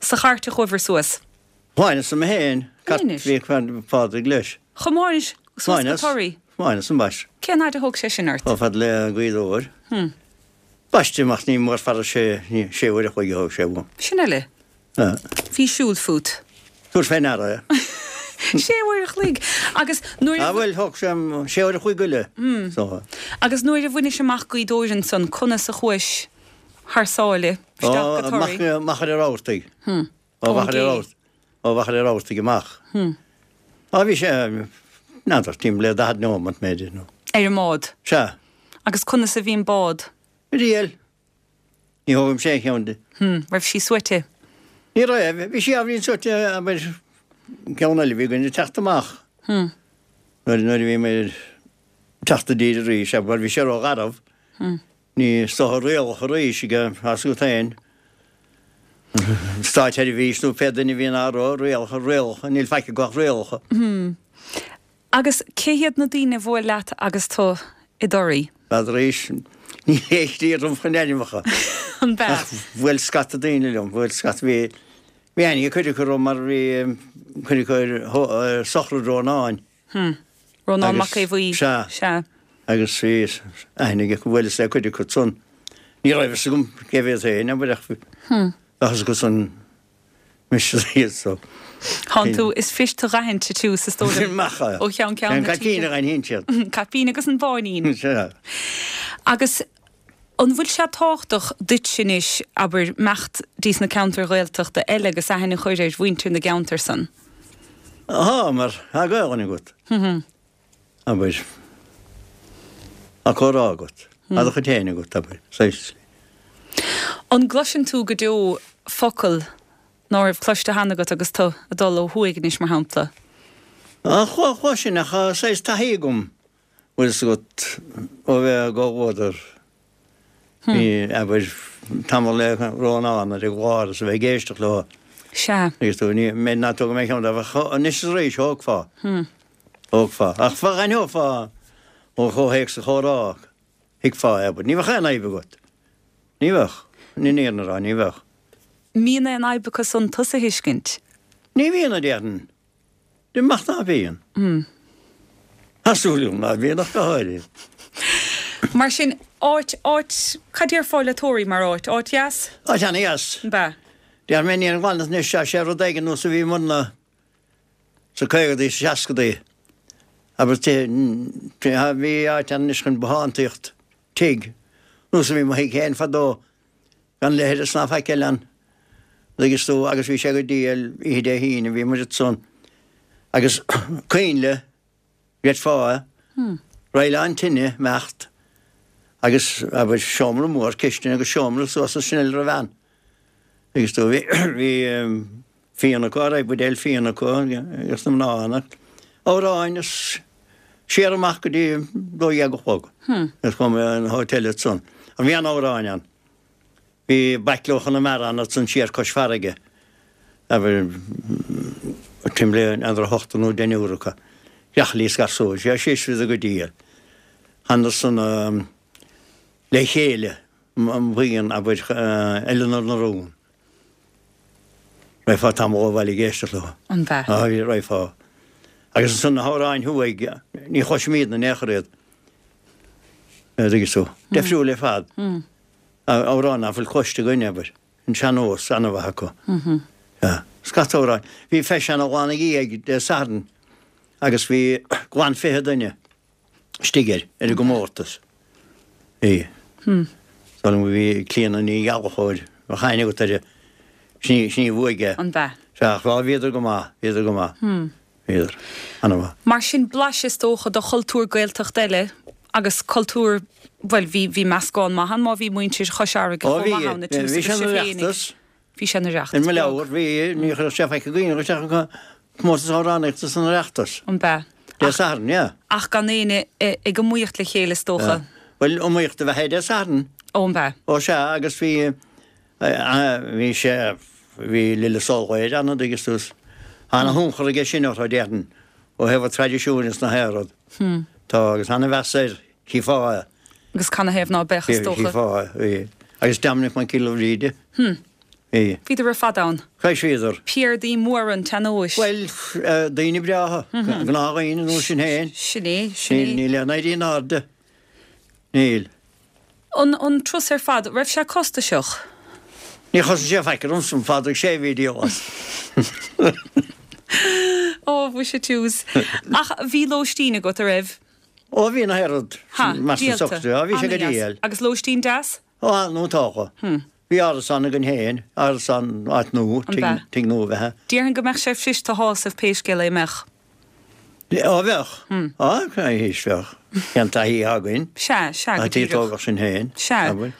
Sa chairt a chuabhair suas? Thiomáineas mé féin, cairt bhí Pádraig leis. Thiomáinis suas go Toraigh? Thiomáineas, ambaist. Cén fhaid a thóg sé sin ort? Chomh fada le Gaoth Dobhair. Ambaist, imeacht ní mór fara sé, sé uair a chloig a thóg sé uaim. Sin eile. Bhí siúl fút. Tabhair fé ndeara é. Sé uair a chloig! Agus nuair a. Ah bhuel, thóg sé sé uair a chloig go leith. So. Agus nuair a bhainis amach Gaoth Dobhair ansan, conas a chuais thar sáile isteach go Toraigh? Ó, Machaire Rabhartaigh. Ó Mhachaire Rabhartaigh. Ó Mhachaire Rabhartaigh amach. Á bhí sé, n'fheadar, timpeall le 40 neomat mb'fhéidir nó. Ar an mbád? Sea. Agus conas a bhí an bád? Riail. Ní thógaimse aon cheann di. Hm, raibh sí suaite? Ní raibh. Bhí sí ábhairín suaite, abair, ceann eile a bhí againn ag teacht amach. Hm. Nuair, nuair a bhí muid ag teacht i dtír arís, abair, bhí sé ró-gharbh. Hm. Ní is dócha rialacha arís ag fás agat féin. Státseirbhís nó pé duine a bhíonn á rá, rialacha, rialacha, níl faic acu ach rialacha. Hm. Agus cé hiad na daoine a bhuail leat agus tú i dToraí? N'fheadar arís, níl aon chliar agam chun ainmneacha. An b'ea? Ach bhuail scata daoine liom, bhuail scata, bhí, bhí aithne ag cuid acu orm mar bhí cuid acu ar sochraid Rónáin. Hm. Rónán Mac Aodha Bhuí. Sea. Sea. Agus bhí aithne ag, bhuaileas le cuid acu san. Ní raibh fhios agam cé mhéad féin, abair, ach Hm. bheadh fhios acu san. Mise iad so. Thánn tú, is fuist tú dh'aithint is is dóigh liom. Maith Ó cheann ceann na tíre. An caipín a dh'aithníonn siad. Caipín agus an báinín. Sea. Agus an bhfuil sé tábhachtach duitse anois, abair, imeacht dtí sna ceantair Ghaeltachta eile agus aithne a chur ar mhuintir na gceantar san? Tá, mar tá Gaelainn agat. Abair. Tá comhrá agat. Tá do chuid féin agat, abair. Saghas. An gcloiseann tú go deo focal ná raibh cloiste cheana agat agus tú ag dul ó thuaidh anois, mar shampla? Chloisinn, ach tá saghas taithí agam, bhfuil fhios agat, ó bheith i gcomhluadar. Bhí, abair, tamall le Rónán ar an gclár is a bheith ag éisteacht leo. Sea. Agus tú, ní, mé ná tóg mé ceann dóibh ach anois is arís, thógfá. Thógfá. Ach d'aithneofá ó chomhthéacs an chomhrá, thuigfeá é, abair. Ní bheadh aon fhadhb agat. Ní bheadh. Ní an fhírinne a rá, ní bheadh. Mbíonn aon fhadhb acu san tusa a thuiscint? Ní bhíonn, a déarfainn. Amach ná bíonn. Tá súil agam ná bíonn ach go háirithe. Mar sin, áit, áit, cad déarfá le Toraigh mar áit? Áit dheas? Áit ana-dheas. An b'ea? Déarfaidh mé ní ar an ghlan anois, tá sé rud éigin nós a bhí muidne sna caogadaí, sna seascadaí. Abair bhí áit ann anois chun bothántaíocht, tigh, nós a bhí mo thigh féin fadó. Gan leithreas ná faic eile ann, dtuigeann tú, agus bhí sé go diail oíche Dé hAoine, bhí muid ansan agus coinnle, gheitfeá é, roilleán tine, imeacht, agus, abair, seomra mór, cistin agus seomra suas as sin eile roimh ann. Dtuigeann tú, bhí, bhí fíon acu, raibh buidéal fíon acu agus na mná ann, amhráin is siar amach go dtí 12 a chlog. Agus chuaigh mé an hotel ansan. Bhí an-amhráin ann. Bhí baicle ó Chonamara ann ansan siar cois farraige. Abair, timpeall le n'fheadar ochtar nó deichniúr acu. Greachaillí is gasúir. Sea, síos bhíodar go diail. Thánadar san le chéile, an bhuíon, abair, Eileanar na Rún. Raghfá tamall ó bhaile ag éisteacht leo. An b'ea? Á, raghfá. Agus ansan na hamhráin thuaidh, ní chloisim iad in aon chor iad. Dtuigeann tú. Difriúil ar fad. Amhráin nach bhfuil cloiste againn, abair. An sean-nós, an-mhaith acu. Sea. Scata amhráin. Bhí feis ann an lá ina dhiaidh, Dé Sathairn, agus bhí glan 20 duine. istigh air, ar an gcomórtas. Bhí. Dar ndóigh bhí Clíona Ní Ghallchóir, bheadh aithne agat uirthi, sin í, sin í a bhuaigh é. An b'ea? Sea, ach bhí, bhíodar go maith, bhíodar go maith. Bhíodar. An-mhaith. Mar sin, blaiseadh is dócha de chultúr Gaeltacht eile agus cultúr, bhuel, bhí, bhí meascán maith ann má bhí muintir Chois Fharraige Ó chomh bhí, maith ann, a bhí tús sé agus ina sibh féinig. Oireachtas. Bhí sé ina Oireachtas Oireachtas In mo beag. leabhar, bhí, ní chuirfeadh sé faic i gcuimhne isteach an comórtas amhránaíochta san Oireachtas. An b'ea? Dé Sathairn, yeah. Ach gan éinne ag iomaíocht le chéile is dócha. Bhuel, iomaíocht a bheadh é Dé Sathairn. Ó, an b'ea? Ó sea, agus bhí, bhí sé, bhí Lillis Ó Laoire ann, an dtuigeann tú. Tá ana-thionchar aige sin orthu, déarfainn, ó thaobh an traidisiúin is na haon rud. Tá, agus ana-mheas air, chífeá é. Agus canathaobh ná beadh, is dócha. Shílfeá, bhí. Agus Dominic Mac Giolla Bhríde. Hm. Bhí. Bhíodar ar fad ann. Cois bhíodar. Piardaí móra an tsean-nóis. Bhuel, daoine breátha. Gnáthdhaoine nó sin féin. Sin é, sin é. Níl aon éirí in airde. Níl. An, an turas ar fad, raibh sé costasach? Níor chosain sé faic ormsa, an Phádraig sé a bhí ag díol as. Ó, mhuise tús. Ach bhí lóistín agat, a raibh? Ó, bhí na hoiread, Ha, mar san díolta. socrú. Á, bhí sé go Ana-dheas. diail. Agus lóistín deas? Ó, nó togha. Bhí árasán againn féin, árasán, áit nua, An b'ea? tigh nua a bheith ann. Déarfainn go mbeadh sé fuirist a shásamh pé scéal é, mbeadh? Á, bheadh. Á, théis bheadh. Cén taithí atá againn? Sea, sea, go Tá díreach. tógadh sinn féin. Sea. Abair.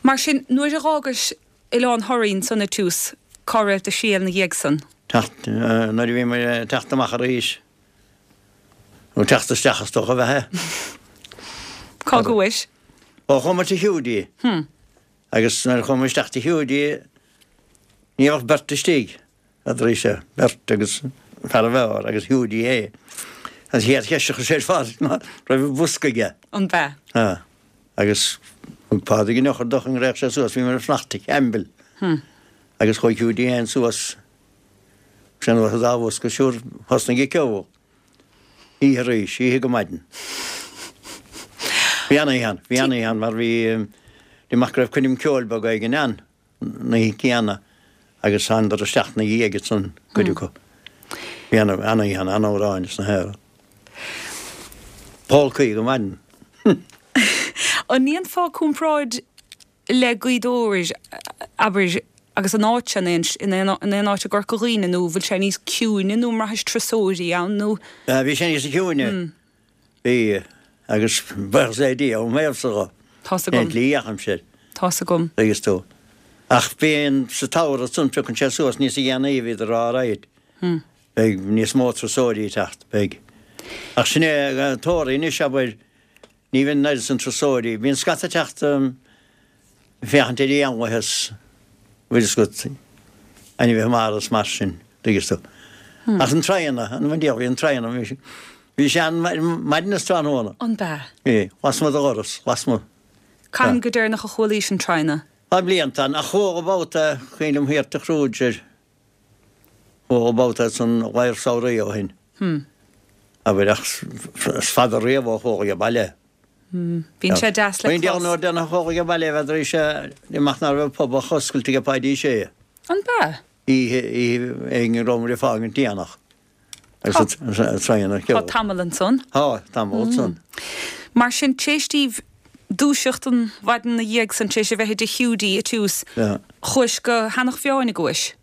Mar sin, nuair a dh'fhágais Oileán Thoraí ansan ag tús, cá raibh do thriall 'na dhiaidh san? Teacht, nuair a bhí muid ag teacht amach arís, nó teacht isteach is dócha a bheith é. Cá gcuais? Ó, chuamar tigh Hiúdaí. Agus nuair a chuamar isteach tigh Hiúdaí, ní raibh ach beirt istigh. N'fheadraís-se, beirt agus fear an bheáir agus Hiúdaí é. An chéad cheist a chuir sé ar Phádraig ná raibh an bosca aige. An b'ea? Á. Agus thug Pádraig an eochair dó chun go raghadh sé suas, bhíomar ag fanacht tigh Chaimbil. Agus chuaigh Hiúdaí fhéin suas, sé anuas an dá bhosca, siúr, thosnaigh ag ceol. Oíche arís, oíche go maidin. Bhí an-oíche ann, bhí an-oíche ann mar bhí, bhí amach go raibh coirm ceoil beag éigin ann. an oíche chéanna agus thánadar isteach 'na dhiaidh ansan, cuid acu. Bhí an-oíche ann, an-amhráin is na haer. Pólcaí go maidin. An ndéanfá comparáid le Gaoth Dobhair, abair, agus an áit sin in aon áit i gCorca Dhuibhne nó bhfuil sé níos ciúine nó an mbraithis turasóirí ann nó? Bhí sé níos ciúine. Bhí, agus buíochas le Dia, óm thaobhsa dho. Tá's agam. Cén tslí a dheachaimse air. Tá's agam. Tuigeas tú. Ach bíonn sa tsamhradh ansan, piocann sé suas níos dhéanaí a bhíodar á raghaid. Beidh níos mó turasóirí ag teacht, beidh. Ach sin é Toraigh anois, abair, ní bhíonn an oiread san turasóirí. Bíonn scata ag teacht féachaint ar éanlaithe is, bhfuil fhios agat, ainmhithe mara is mar sin, tuigeas tú. Ach an traigheanna, an bhfuil, bhí an traigheanna, bhí sé ann maidin is tráthnóna. An b'ea? Bhí, lasmuigh de dhoras, lasmuigh. Cathain go deireanach a chualaís an traigheanna? Tá blianta ann, ach chuala babhta, cuimhin liom thiar tigh Kruger, chuala babhta san lár samhraidh ó shin. Abair, ach is fada riamh ó chuala age baile. Bíonn sé deas le clos. Bíonn nuair déanadh chuala age baile bheadh sé amach ná raibh pub ach oscailte ag Páidí Sé. An b'ea? Oíche, oíche éigin go rabhamar ag fágaint déanach. Agus an traein ar Tá tamall ansan. Tá, tamall ansan. Mar sin, t'éis daoibh dúiseacht an mhaidin 'na dhiaidh san, t'éis a bheith i dtigh Hiúdaí ag tús, chuais go hEanach Mheáin a gcuais?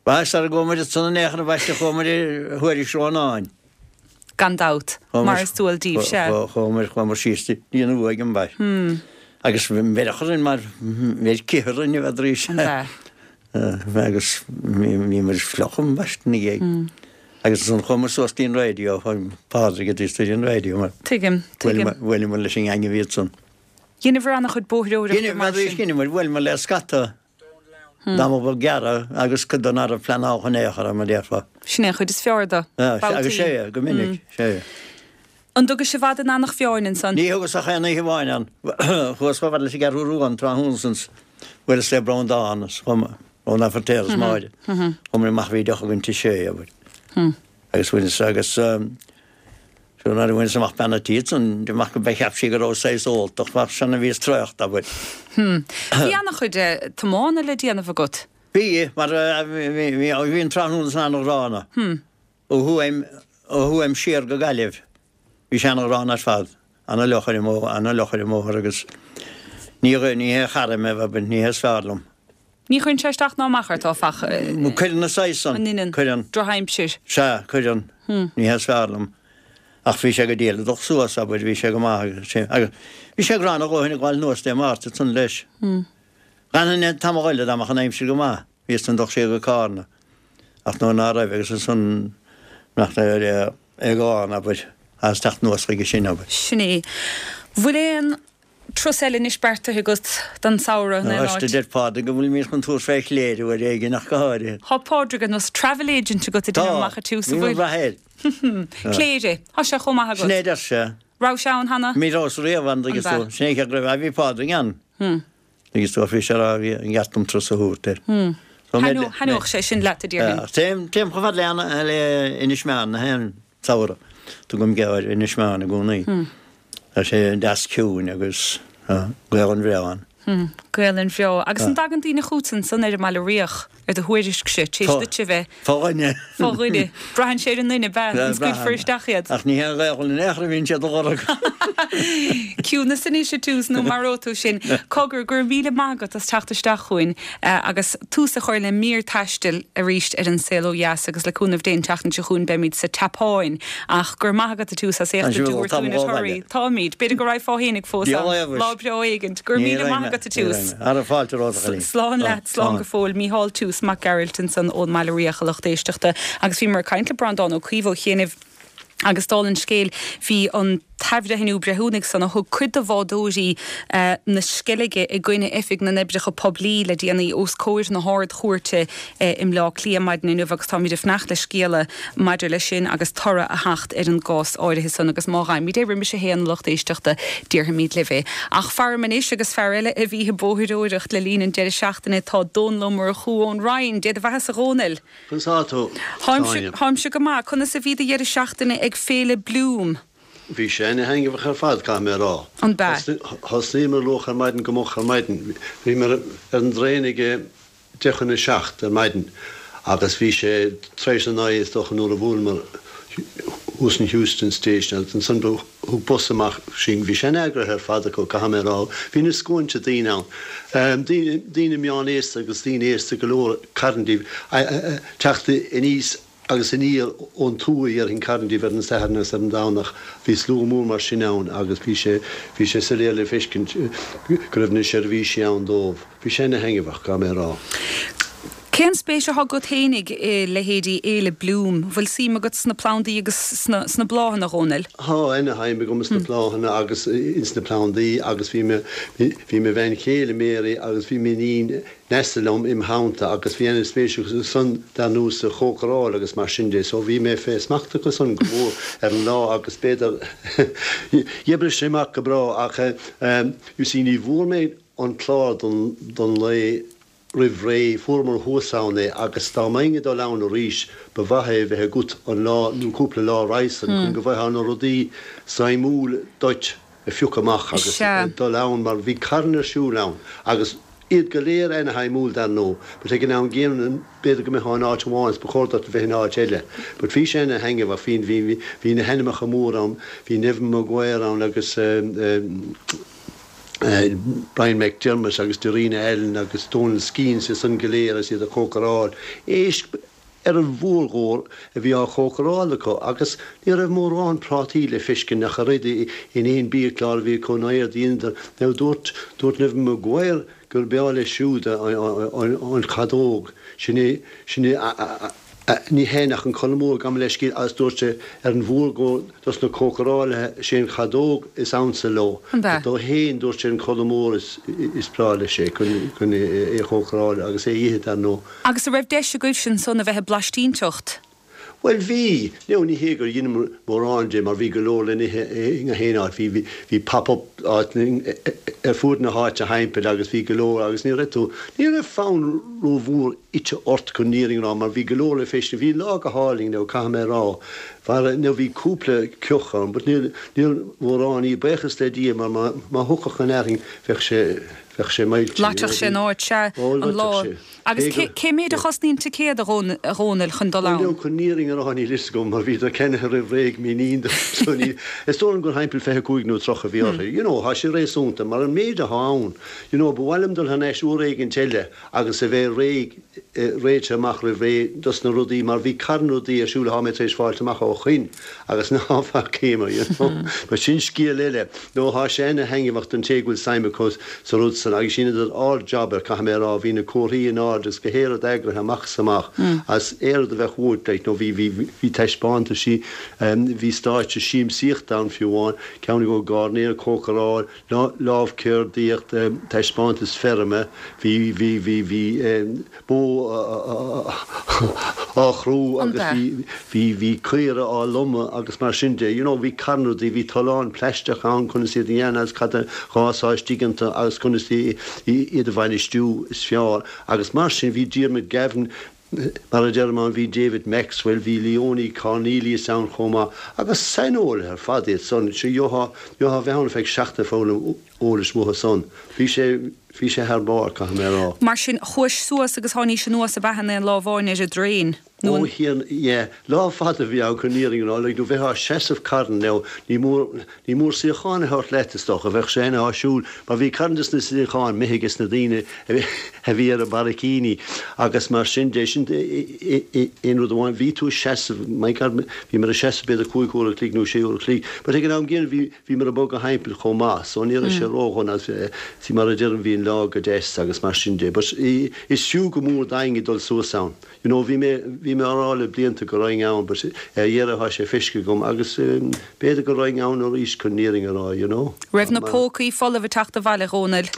Bhuel, sara gcuaigh muid ansan in aon chor ambaiste chuaigh muid ar Thuairisc Rónáin. Gan dabht, mar is dual daoibh, sea. Chuaigh muid, chuaigh muid síos dtí an uaigh ambaiste. Agus bheir orainn mar bheir cith orainn a bheith arís. An b'ea? Agus bhí muid fliuch ambaiste ina dhiaidh. Agus ansan chuaigh muid suas dtí an raidió, chuaigh Pádraig a dtí an raidió mar. Tuigim, tuigim. Bhuaileamar leis an ngeaing a bhí ansan. Dheineabhair an-chuid bóithreoireachta mar sin. Dheineamar, bhuaileamar le scata. Dá mba bheag gearradh agus cuid de ná raibh pleanáilte in aon chor, mar a déarfá. Sin é an chuid is fearr de. Babhtaí. Agus sea, go minic, sea. An dtugais i bhfad in Eanach Mheáin ansan? Ní thugas ach aon oíche amháin ann. Chuas chomh fada leis an gCeathrú Rua an tráthnóna san 's bhuaileas le Breandán is Breandán Feirtéar is Máire. Chuamar amach bhí deoch againn tigh Shé, abair. Agus bhaineas agus. Sure nuair a bhaineas amach bean a' tí ansan, amach go cheap sí go rabhas saghas óltach, ach sin a bhíos traochta, abair. Bhí ana-chuid tiomána le déanamh agat. Bhí, mar bhí an tráthnóna san ana-ghránna. Ó Thuaim, ó Thuaim siar go Gaillimh, bhí sé ana-ghránna ar fad, ana-fhliuch ar an mbóthar, ana-fhliuch ar an mbóthar agus ní, ní hé chara mé, abair, ní hé is fearr liom. Ní chuireann sé isteach ná amach ort, áfach. Cuireann an saghas san. An ndeineann? Cuireann. Drochaimsir. Sea, cuireann. Ní hé is fearr liom. Ach bhí sé go diail ag dul suas, abair, bhí sé go maith agus sin. Agus bhí sé gránna a dhóthain ag gabháil anuas Dé Máirt ansan leis. D'fhanfainn tamall eile dá mbeadh an aimsir go maith. Bhíos ag dul siar go Cárna. Ach nuair ná raibh agus ansan nach raibh é glan, abair, as teacht anuas chuige sin, abair. Sin é. Bhfuil aon Turas eile anois beartaithe agat don samhradh in aon Anois áit? deir Pádraig go bhfuilimid chun tabhairt fé Chléire uair éigin ach go háirithe. Tá Pádraig ar nós travel agent agat ag Tá, déanamh amach an tús, an níl bhfuil? rath air. Cléire, tá sé chomh maith Sin é agat. a deir sé. Raibh sé ann cheana? Ní rabhas riamh ann, tuigeann tú. Sin é an chéad raibh, bhí Pádraig ann. Tuigeann tú, bhí sé a rá bhí an gceart dom turas a thabhairt air. Thaitneodh sé sin leat, a déarfainn. Téim, téim chomh fada le, le Inis Meáin na haon samhradh. Tugaim geábh ar Inis Meáin i gcónaí. Tá sé deas ciúin agus Gaelainn bhreá ann. Gaelainn bhreá. Agus an dtagann daoine chugat ansan ar an mBaile Riach? Ar do thuairiscse, tar éis duit a bheith. Fá dhuine. Fá dhuine. Braitheann sé ar an nduine, ab ea? An scaoilfear isteach iad? Ach ní hé an Ghaelainn in aon chor a bhíonn siad a lorg. Ciúnas anois, a Toose, nó maróidh tú sinn. Cogar, go raibh míle maith agat as teacht isteach chugainn agus tús a chur le mír taistil arís ar An Saol Ó Dheas agus le cúnamh Dé an tseachtain seo chugainn beimid sa tSeapáin. Ach go raibh maith agat, a Toose, as éacht a dtabhairt dúinn ar Thoraí. Táimid. B'fhéidir go raghfá fhéinig fós ann, lá breá éigint. Go raibh míle maith agat, a Toose. Ara fáilte romhat, a chailín. Slán leat, slán go fóill. Mícheál Toose Mac Gearailt ansan ón mBaile Riach, a lucht éisteachta. Agus bhíomar ag caint le Breandán Ó Caoimh ó chianaibh agus dála an scéil bhí an t-athbhreithniú breithiúnaigh san a thug cuid de bhádóirí na Sceilge i gcoinne Oifig na nOibreacha Poiblí le déanaí os comhair na hArd-Chúirte i mBleá Cliath maidin inniu agus táimid ag fanacht le scéala maidir leis sin agus toradh a theacht ar an gcás áirithe san agus má fhaighimid é roimis a haon a lucht éisteachta déarfaimid libh é. Ach faram anois agus fear eile a bhí ag bóithreoireacht le linn an deireadh seachtaine tá Dónal Ó Murchú ón Rinn. Dé do bheathasa a Dhónaill. Conas tá tú, Áine? Táimse go maith. Conas a bhí do dheireadh seachtaine ag Féile Bloom? Bhí sé ana-thaitneamhach ar fad, caithfidh mé a rá. An b'ea? Thosnaíomar luath ar maidin, go moch ar maidin. Bhíomar ar an dtraein ag 6:50 ar maidin agus bhí sé tar éis a naoi is dócha nuair a bhuaileamar thuas in Heuston Station agus ansan thug bus amach sinn. Bhí sé an-eagraithe ar fad acu, caithfidh mé a rá. Bhí na scuainte daoine ann. Daoine meánaosta agus daoine aosta go leor, carn díobh, ag teacht aníos agus aniar ón tuath, dhéarfainn, carn díobh ar an Satharn agus ar an Domhnach. Bhí slua mór mar sin ann agus bhí sé, bhí sé soiléir le feiscint go raibh na seirbhísí ann dóibh. Bhí sé ana-thaitneamhach, caithfidh mé a rá. Cén spéis atá agat fhéinig i leithéidí Fhéile Bloom? Bhfuil suim agat sna plandaí agus sna bláthanna, a Dhónaill? Tá ana-shuim agam sna bláthanna agus ins na plandaí agus bhí mo, bhí mo bhean chéile Mary agus bhí m'iníon Neasa liom im theannta agus bhí ana-spéis acu san dar ndóigh sa chócaráil agus mar sin de so bhí mé fé smacht acu san go mór ar an lá agus b'fhéidir d'oibrigh sé amach go breá ach you see ní bhfuair mé an clár don don lae roimh ré, fuaireamar thuas ann é agus dá mbeinn ag dul ann arís ba mhaith é bheith agat an lá nó cúpla lá roimhe san chun go bhfaightheá na rudaí suimiúil duit a phiocadh amach agus dul ann mar bhí carn ar siúl ann agus iad go léir ana-shuimiúil dar ndóigh but ag an am gcéanna b'fhéidir go mbeifeá in áit amháin is ba chóir duit a bheith in áit eile but bhí sé ana-thaitneamhach bhí bhí bhí na hainmneacha mór ann bhí Neven Maguire ann agus Brian McDermott agus Darina Allen agus Donal Skehan iad san go léir agus iad ag cócaráil éisc ar an mhórgóir a bhí á chócaráil acu agus ní raibh mórán prátaí le feiscint ach oiread in aon biachlár a bhí acu ná éard a dheineadar. Now dúirt dúirt Neven Maguire gur breá leis siúd an chadóg, sin é sin é Ní hé nach an codladh mór gabh mo leithscéal agus dúirt sé ar an mhórgóir dos na cócarálaithe sé an chadóg is ansa leo. An b'ea? Dó fhéin dúirt sé an codladh mór is breá leis é chun é a chócaráil agus é a ithe dar ndóigh. Agus an raibh deis agaibhse ansan a bheith ag blaistínteacht? Bhuel bhí. Now ní hé gur dheineamar mórán de mar bhí go leor le n-ithe i ngach aon áit. Bhí bhí pop up áit ar fuaid na háite thimpeall agus bhí go leor agus ní raibh tú ní raibh fonn rómhór ite ort chun an fhírinne a rá mar bhí go leor le feiscint. Bhí an lá go hálainn now caithfidh mé a rá. Mara now bhí cúpla ceoch ann but níor níor mhórán í buíochas le Dia mar má má thiocfadh an fhearthainn bheadh sé bheadh sé millte you know. Loitfeadh sé an áit, sea, Ó an lá. loitfeadh sé. Agus Cé cé go cé méid a chosnaíonn ticéad a Dhónaill chun dul Bhuel ann? now chun an fhírinne a rá níl fhios agam mar bhíodar ceannaithe roimh ré ag m'iníon dom so ní is dóigh liom gur thimpeall 25 nó 30 a bhí orthu. You know thá sé réasúnta mar an méid athá ann you know ba mhaith liom dul thar n-ais uair éigint eile agus a bheith réidh, réitithe amach roimh ré dos na rudaí mar bhí carn rudaí ar siúl athá mé tar éis fáilt amach ó shoin agus ná facaíomar, you know. But sin scéal eile. Nó thá sé ana-thaitneamhach don té go bhfuil suim acu sa rud san. ansan agus dheineadar ard-jab air, caithfidh mé a rá, bhí na comharthaí in airde agus gach aon rud eagraithe amach is amach agus aon rud a bheadh uait, like, nó bhí, bhí, bhí taispeántaisí, bhí stáitse siamsaíochta ann fiú amháin, ceann acu gairneoir, cócaráil, lámhcheardaíocht, taispeántas feirme, bhí, bhí, bhí, bhí bó á chrú agus bhí, bhí, bhí caora á lomadh agus mar sin de. You know, bhí carn rudaí, bhí tolláin plaisteach ann conas iad a dhéanamh agus cad a dh'fhásfá istigh iontu agus conas iad a bhainistiú is fearr agus mar sin bhí Diarmuid Gavin, Mar a deirim ann, bhí David Maxwell, bhí Leonie Cornelius ann chomh maith, agus saineolaithe ar fad iad san. Sea, gheofá, gheofá a bheith ann ar feadh seachtaine ag foghlaim eolais uathu san. Bhí sé, bhí sé thar barr, caithfidh mé a rá. Mar sin, chuais suas agus tháinís anuas ab ea in aon lá amháin ar an dtraein, nó an. Ó thiarna, yeah. Lá fada a bhí ann chun an fhírinne a rá, like, nó bheifeá ag seasamh carn now, ní mór, Ní mór suíocháin a thabhairt leat, is dócha. Bheadh sé ana-áisiúil, mar bhí carn des na suíocháin imithe ages na daoine a bhí ar an barraicíní agus mar sin de. Sin aon rud amháin. Bhí tú ag seasamh, my God, bhíomar ag seasamh b'fhéidir cúig uair a chloig nó sé uair a chloig. But ag an am gcéanna bhí, bhíomar ag bogadh thimpeall chomh maith, so ní raibh sé ródhona agus see mar a deirim bhí an lá go deas agus mar sin de. But is fiú go mór d'éinne dul suas ann. You know, bhí mé, bhí mé á rá le blianta go raghainn ann but ar dheireadh tá sé feiscithe agam agus b'fhéidir go raghainn ann arís chun an fhírinne a rá, you know. Raibh na pócaí folamh ag teacht abhaile, a Dhónaill?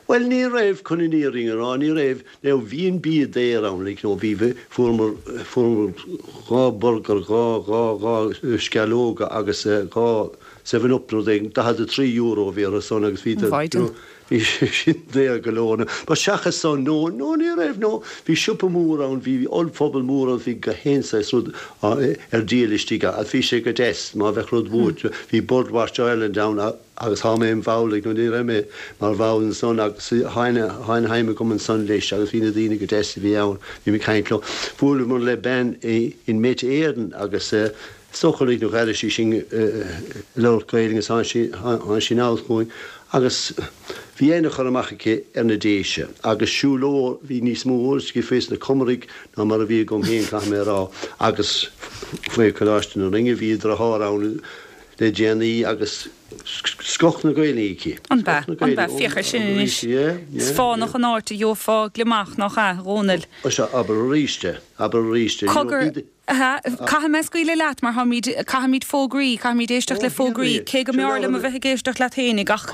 Bhuel, ní raibh, chun an fhírinne a rá, ní raibh. Now, bhí an bia daor ann, like, you know, bhí, fuaireamar, fuaireamar dhá burger, dhá, dhá, dhá sceallóga agus dhá Seven Up nó rud éigin, €43 a bhí orthu san agus bhí, you know, Bhí sé sin daor go leor. But seachas san, no, no, ní raibh, no. Bhí siopa mór ann, bhí ollphuball mór ann, bhí gach aon saghas rud ar díol istigh ann. Bhí sé go deas, má bheadh rud uait. Bhí Birdwatch Ireland ann agus tá mé im bhall, like, nó ní raibh mé mar bhall ansan agus tá ana-shuim agam ansan leis agus bhí na daoine go deas a bhí ann, bhí mé ag caint leo. Bhuaileamar le bean in Met Éireann agus Is dócha like nó d'airigh sí sinn ag labhairt Gaeilge agus tháinig sí anall chugainn agus bhí ana-chur amach aici ar na Déise agus siúlóir, bhí níos mó eolais aici faoi sna Comaraigh ná mar a bhí agam féin, caithfidh mé a rá, agus faoi Choláiste na Rinne, bhí a deartháir ann le déanaí agus scoth na Gaeilge aici. An b'ea? An b'ea? Féach ar sin anois. Is fánach an áit a gheofá gliomach, nach ea, a Dhónaill? Sea, abair arís é, abair arís é. Cogar, Caithfidh mé scaoileadh leat mar táimid, caithfimid fógraí, caithfimid éisteacht le fógraí, cé go mb'fhearr liom a bheith ag éisteacht leat fhéinig ach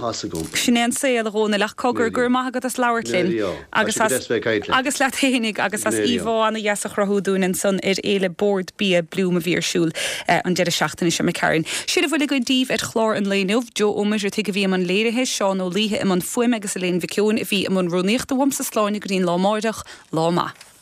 sin é an saol, a Dhónaill, ach cogar, go raibh maith agat as labhairt linn agus as, agus leat fhéinig agus as íomhá ana-dheas a chruthú dúinn ansan ar Fhéile Bord Bia Bloom a bhí ar siúl an deireadh seachtaine seo imigh tharainn. Sin a bhfuil againn daoibh ar chlár an lae inniu. Joe Ó Muircheartaigh a bhí i mbun léirithe, Seán Ó Laoithe i mbun fuaime agus Elaine Mhic Eoin a bhí i mbun rúnaíochta. Uaimse slán go dtí an lá amáireach, lá maith.